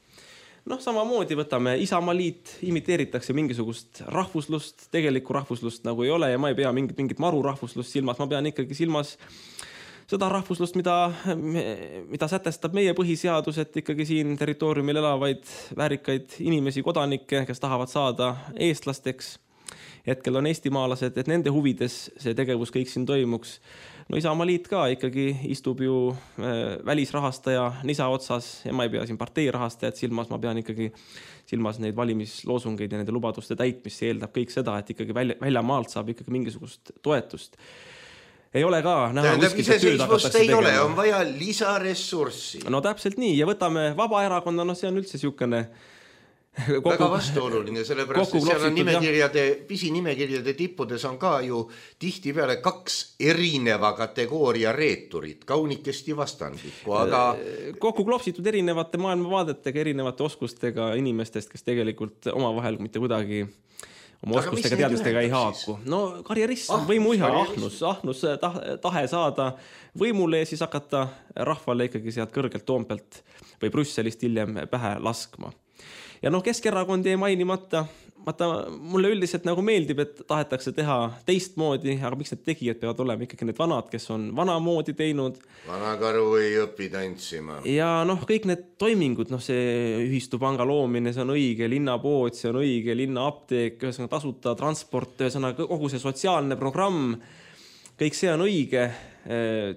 S4: Samamoodi võtame Isamaaliit, imiteeritakse mingisugust rahvuslust, tegelikku rahvuslust nagu ei ole ja ma ei pea mingit maru rahvuslust silmas, ma pean ikkagi silmas seda rahvuslust, mida sätestab meie põhiseadus, et ikkagi siin territooriumil elavaid väärikaid inimesi, kodanikke, kes tahavad saada eestlasteks. Hetkel on eestimaalased, et nende huvides see tegevus kõik siin toimuks. Isamaaliit ka ikkagi istub ju välisrahastaja nisa otsas ja ma ei pea siin partei rahastajad silmas, ma pean ikkagi silmas neid valimisloosungeid ja nende lubaduste täitmist, see eeldab kõik seda, et ikkagi väljamaalt saab ikkagi mingisugust toetust. Ei ole ka näha
S3: iseseisvust ei ole, on vaja lisaressurssi.
S4: No täpselt nii ja võtame Vabaerakonna, see on üldse siukene
S3: väga vastuoluline, sellepärast et seal on pisinimekirjade tippudes on ka ju tihtipeale 2 erineva kategooria reeturit, kaunikesti vastandlikku, aga
S4: kokku klopsitud erinevate maailmavaadetega, erinevate oskustega inimestest, kes tegelikult omavahel mitte kuidagi oma oskustega teadmistega ei haaku. Karjerism, võimuiha, ahnus, tahe saada võimule ja siis hakata rahvale ikkagi sealt kõrgelt Toompealt või Brüsselist hiljem pähe laskma. Ja Keskerakond jäi mainimata, mulle üldiselt nagu meeldib, et tahetakse teha teistmoodi, aga miks need tegijad peavad olema ikkagi need vanad, kes on vanamoodi teinud.
S3: Vanakaru ei õpi tantsima.
S4: Ja kõik need toimingud, see ühistupanga loomine, see on õige, linnapood, see on õige, linnaapteek, ühesõnaga tasuta transport, ühesõnaga kogu see sotsiaalne programm, kõik see on õige,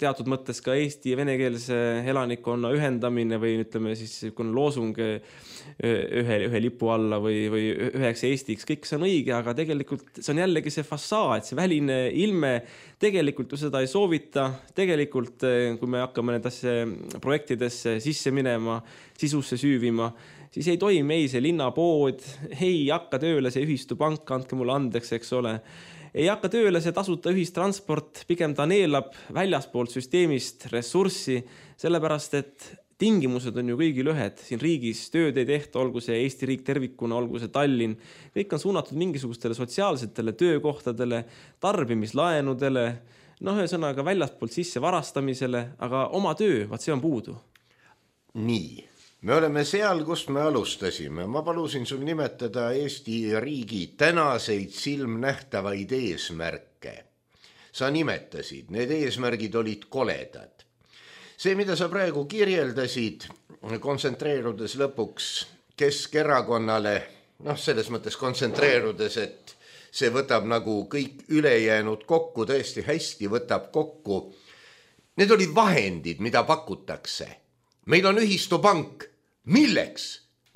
S4: teatud mõttes ka eesti ja venekeelse elanikkonna ühendamine või ütleme siis loosung ühe lipu alla või üheks Eestiks, kõik see on õige, aga tegelikult see on jällegi see fassaad, see väline ilme, tegelikult ju seda ei soovita, tegelikult kui me hakkame nendesse projektidesse sisse minema, sisusse süüvima, siis ei toimi ei see linnapood, ei hakka tööle see ühistupank, andke mulle andeks, eks ole. Ei hakka tööle see tasuta ühistransport, pigem ta neelab väljaspoolt süsteemist ressurssi, sellepärast et tingimused on ju kõigil ühed. Siin riigis tööd ei tehta, olgu see Eesti riik tervikuna, olgu see Tallinn. Kõik on suunatud mingisugustele sotsiaalsetele töökohtadele, tarbimislaenudele, ühesõnaga väljaspoolt sisse varastamisele, aga oma töö, see on puudu.
S3: Nii. Me oleme seal, kust me alustasime. Ma palusin sul nimetada Eesti riigi tänaseid silmnähtavaid eesmärke. Sa nimetasid, need eesmärgid olid koledad. See, mida sa praegu kirjeldasid, kontsentreerudes lõpuks Keskerakonnale, selles mõttes kontsentreerudes, et see võtab nagu kõik ülejäänud kokku, tõesti hästi võtab kokku. Need olid vahendid, mida pakutakse. Meil on ühistupank. Milleks?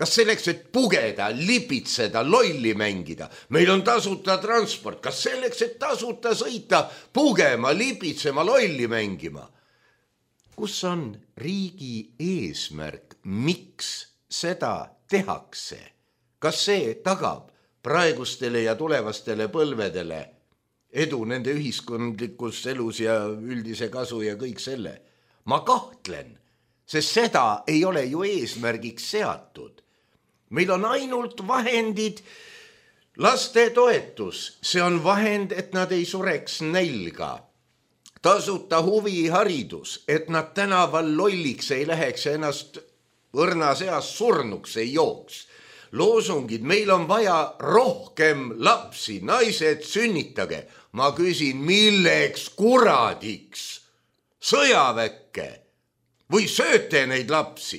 S3: Kas selleks, et pugeda, lipitseda, lolli mängida? Meil on tasuta transport. Kas selleks, et tasuta sõita, pugema, lipitsema, lolli mängima? Kus on riigi eesmärk? Miks seda tehakse? Kas see tagab praegustele ja tulevastele põlvedele edu nende ühiskondlikus elus ja üldise kasu ja kõik selle? Ma kahtlen. Sest seda ei ole ju eesmärgiks seatud. Meil on ainult vahendid, laste toetus, see on vahend, et nad ei sureks nälga. Tasuta huviharidus, et nad tänaval lolliks ei läheks ja ennast õrnas eas surnuks ei jooks. Loosungid, meil on vaja rohkem lapsi, naised sünnitage. Ma küsin, milleks kuradiks? Sõjaväkke? Või sööte neid lapsi?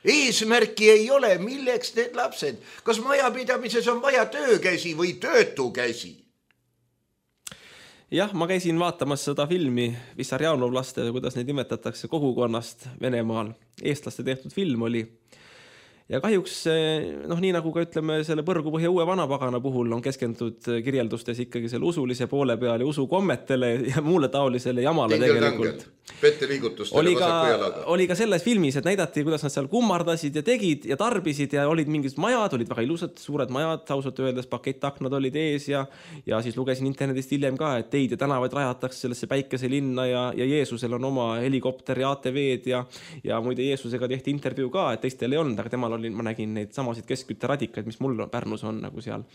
S3: Eesmärki ei ole, milleks need lapsed? Kas majapidamises on vaja töökäsi või töötukäsi?
S4: Jah, ma käisin vaatamas seda filmi Vissarjanovlaste, kuidas neid nimetatakse kogukonnast Venemaal. Eestlaste tehtud film oli. ja kahjuks nii nagu ka ütleme selle Põrgupõhja uue vanapagana puhul on keskendunud kirjeldustes ikkagi selle usulise poole peal ja usukommetele ja muule taolisele jamale tegelikult.
S3: Petteliigutustele vasaku jalaga.
S4: Oli ka selles filmis, et näidati, kuidas nad seal kummardasid ja tegid ja tarbisid ja olid mingid majad, olid väga ilusad, suured majad, ausalt öeldes pakettaknad olid ees ja siis lugesin internetist hiljem ka, et teid ja tänavaid rajatakse sellesse päikeselinna ja Jeesusel on oma helikopter ja ATV-d ja muide Jeesusega tehti intervjuu ka, et teistel ei olnud, aga temal ma nägin neid samasid keskkütteradikaid, mis mul Pärnus on nagu seal.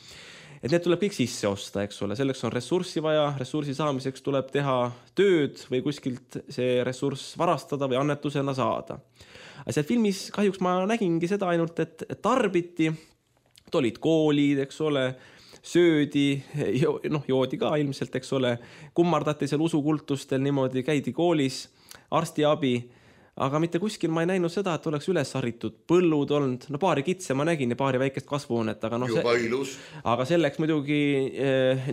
S4: Et need tuleb kõik sisse osta, eks ole, selleks on ressurssi vaja, ressursi saamiseks tuleb teha tööd või kuskilt see ressurss varastada või annetusena saada. Aga seal filmis kahjuks ma nägingi seda ainult, et tarbiti, olid koolid, eks ole, söödi, joodi ka ilmselt, eks ole, kummardati seal usukultustel niimoodi, käidi koolis, arstiabi, aga mitte kuskil ma ei näinud seda, et oleks üles haritud põllud olnud, paari kitse ma nägin ja paari väikest kasvuhoonet, aga selleks muidugi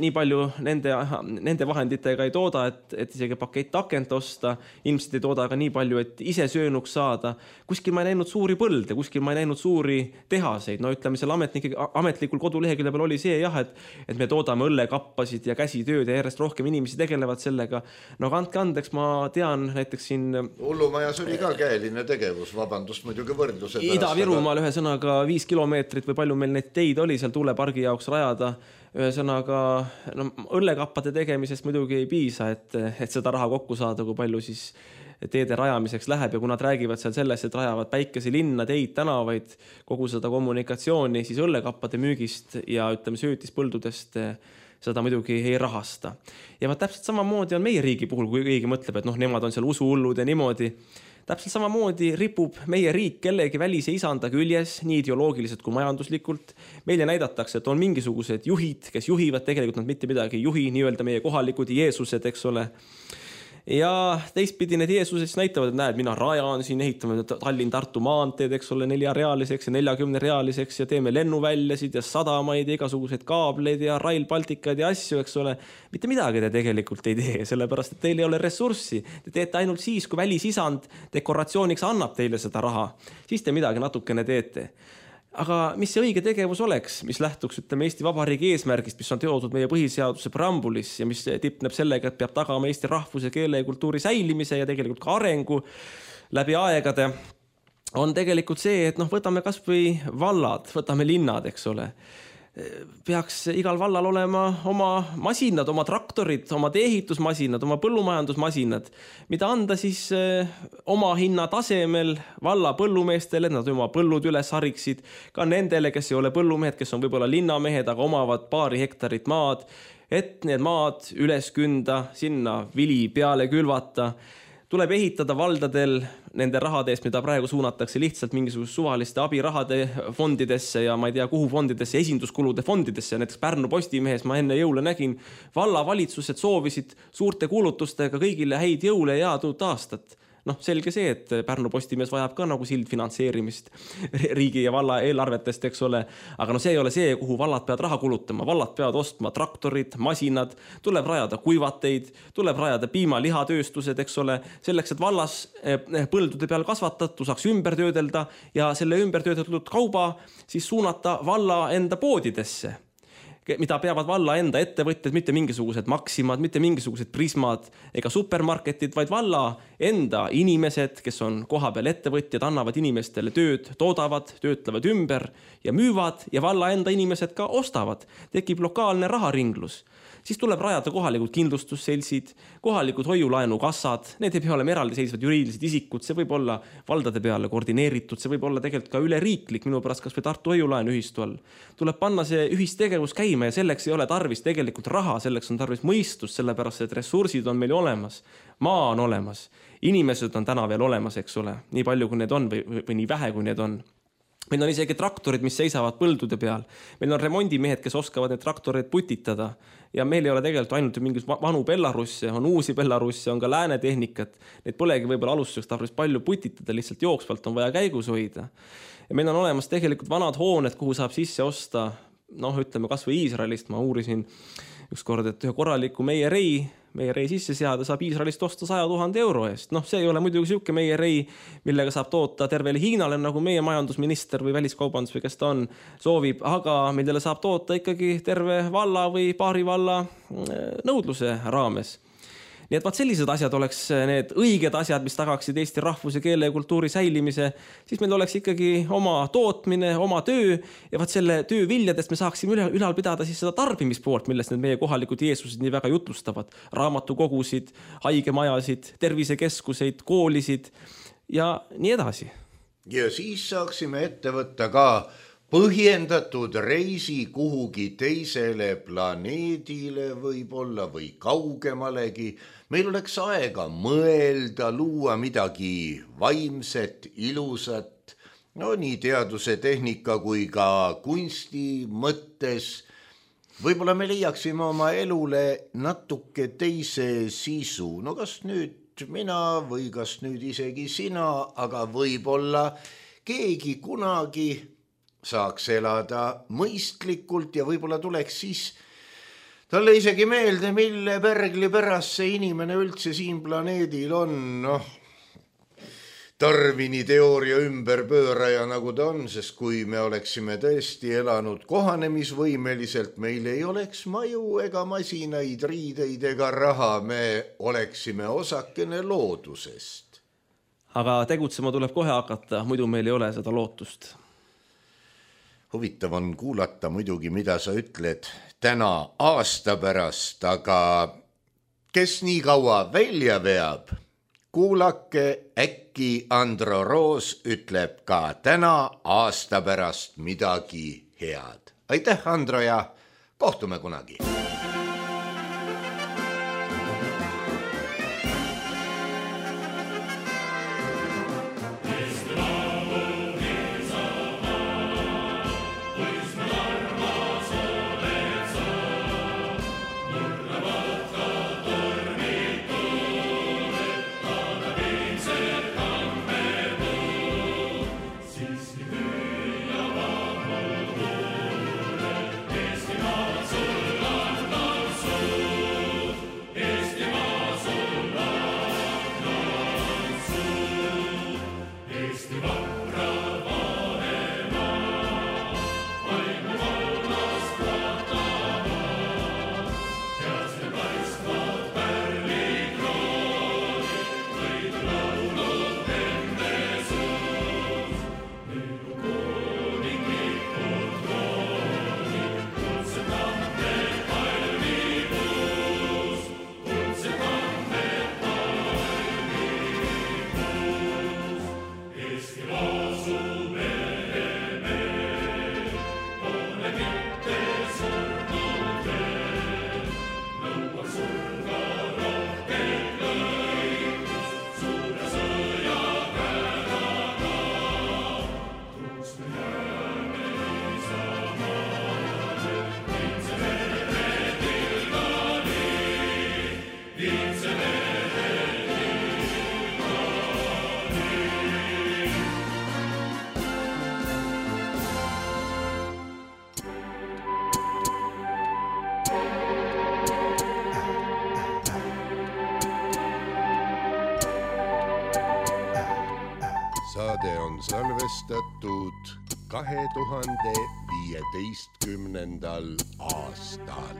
S4: nii palju nende vahenditega ei tooda, et isegi pakett akent osta, ilmselt ei tooda aga nii palju, et ise söönuks saada. Kuskil ma ei näinud suuri põlde, kuskil ma ei näinud suuri tehaseid, ütleme seal ametlikul kodulehekülje peal oli see jah, et me toodame õllekappasid ja käsitööd ja järjest rohkem inimesi tegelevad sellega. Andke andeks, ma tean näiteks siin
S3: Hullumajas oli ka käeline tegevus, vabandust muidugi võrdluse pärast.
S4: Ida-Virumaal ühesõnaga 5 kilomeetrit või palju meil neid teid oli seal tuulepargi jaoks rajada. Ühesõnaga õllekappade tegemisest muidugi ei piisa, et seda raha kokku saada, kui palju siis teede rajamiseks läheb ja kui nad räägivad seal sellest, et rajavad päikeselinna, teid, tänavaid, kogu seda kommunikatsiooni, siis õllekappade müügist ja söötispõldudest seda muidugi ei rahasta. Ja täpselt samamoodi on meie riigi puhul, kui keegi mõtleb, et nemad on seal usuhullud ja niimoodi. Täpselt samamoodi ripub meie riik kellegi välise isanda küljes, nii ideoloogiliselt kui majanduslikult. Meile näidatakse, et on mingisugused juhid, kes juhivad, tegelikult nad mitte midagi ei juhi, nii-öelda meie kohalikud Jeesused, eks ole. Ja teistpidi need Jeesused näitavad, et näed, mina rajan siin, ehitame Tallinn-Tartu maanteed, eks ole, 4-realiseks ja 40-realiseks ja teeme lennuväljasid ja sadamaid ja igasuguseid kaableid ja Rail Balticad ja asju, eks ole. Mitte midagi te tegelikult ei tee, sellepärast, et teil ei ole ressurssi. Te teete ainult siis, kui välisisand dekoratsiooniks annab teile seda raha. Siis te midagi natukene teete. Aga mis see õige tegevus oleks, mis lähtuks Eesti Vabariigi eesmärgist, mis on teotud meie põhiseaduse preambulis ja mis tipneb sellega, et peab tagama Eesti rahvuse, keele ja kultuuri säilimise ja tegelikult ka arengu läbi aegade, on tegelikult see, et võtame kas või vallad, võtame linnad, eks ole. Peaks igal vallal olema oma masinad, oma traktorid, oma teehitusmasinad, oma põllumajandusmasinad, mida anda siis oma hinna tasemel valla põllumeestele, nad oma põllud üles hariksid, ka nendele, kes ei ole põllumehed, kes on võib-olla linnamehed, aga omavad paari hektarit maad, et need maad üles künda, sinna vili peale külvata. Tuleb ehitada valdadel nende rahade eest, mida praegu suunatakse lihtsalt mingisugust suvaliste abirahade fondidesse ja ma ei tea kuhu fondidesse, esinduskulude fondidesse. Näiteks Pärnu Postimehes ma enne jõule nägin, vallavalitsused soovisid suurte kuulutustega kõigile häid jõule ja head uut aastat. Selge see, et Pärnu Postimees vajab ka nagu sildfinantseerimist riigi ja valla eelarvetest, eks ole. Aga see ei ole see, kuhu vallad peavad raha kulutama. Vallad peavad ostma traktorid, masinad, tuleb rajada kuivateid, tuleb rajada piima-lihatööstused, eks ole. Selleks, et vallas põldude peal kasvatatud saaks ümber töödelda ja selle ümber töödeldud kauba siis suunata valla enda poodidesse, mida peavad valla enda ettevõtjad, mitte mingisugused Maximad, mitte mingisugused Prismad ega supermarketid, vaid valla enda inimesed, kes on kohapeal ettevõtjad, annavad inimestele tööd, toodavad, töötlevad ümber ja müüvad ja valla enda inimesed ka ostavad. Tekib lokaalne raharinglus. Siis tuleb rajada kohalikud kindlustusselsid, kohalikud hoiulaenukassad, need ei pea olema eraldiseisvad juriidilised isikud, see võib olla valdade peale koordineeritud, see võib olla tegelikult ka üleriiklik, minu pärast kas või Tartu hoiulaenu ühistu all. Tuleb panna see ühistegevus käima ja selleks ei ole tarvis tegelikult raha, selleks on tarvis mõistust, sellepärast et ressursid on meil olemas, maa on olemas, inimesed on täna veel olemas, eks ole, nii palju kui need on või nii vähe kui need on. Meil on isegi traktorid, mis seisavad põldude peal. Meil on remondimehed, kes oskavad need traktoreid putitada. Ja meil ei ole tegelikult ainult mingis vanu Belarusse, on uusi Belarusse, on ka lääne tehnikat. Need polegi võib-olla alustuseks tarvis palju putitada, lihtsalt jooksvalt on vaja käigus hoida. Ja meil on olemas tegelikult vanad hooned, kuhu saab sisse osta, ütleme kas või Iisraelist, ma uurisin ükskord, et ühe korraliku meie rei sisse seada saab Iisraelist osta 100 000 euro eest. See ei ole muidugi siuke meie rei, millega saab toota tervele Hiinale, nagu meie majandusminister või väliskaubandus või kes ta on, soovib, aga millele saab toota ikkagi terve valla või paari valla nõudluse raames. Nii et vaat sellised asjad oleks need õiged asjad, mis tagaksid Eesti rahvuse, keele ja kultuuri säilimise, siis meil oleks ikkagi oma tootmine, oma töö ja vaat selle töö viljadest me saaksime ülal pidada siis seda tarbimispoolt, millest need meie kohalikud Jeesused nii väga jutlustavad. Raamatukogusid, haigemajasid, tervisekeskuseid, koolisid ja nii edasi.
S3: Ja siis saaksime ette võtta ka põhjendatud reisi kuhugi teisele planeedile võib-olla või kaugemalegi. Meil oleks aega mõelda, luua midagi vaimset, ilusat, nii teaduse, tehnika kui ka kunsti mõttes. Võib-olla me leiaksime oma elule natuke teise sisu. Kas nüüd mina või kas nüüd isegi sina, aga võib-olla keegi kunagi saaks elada mõistlikult ja võib-olla tuleks siis talle isegi meelde, mille pärgli pärast see inimene üldse siin planeedil on. Darwini teooria ümberpööraja nagu ta on, sest kui me oleksime tõesti elanud kohanemisvõimeliselt, meil ei oleks maju ega masinaid, riideid ega raha, me oleksime osakene loodusest.
S4: Aga tegutsema tuleb kohe hakata, muidu meil ei ole seda lootust.
S3: Huvitav on kuulata muidugi, mida sa ütled täna aasta pärast, aga kes nii kaua välja veab, kuulake, äkki Andro Roos ütleb ka täna aasta pärast midagi head. Aitäh, Andro, ja kohtume kunagi. Saade on salvestatud 2015. aastal.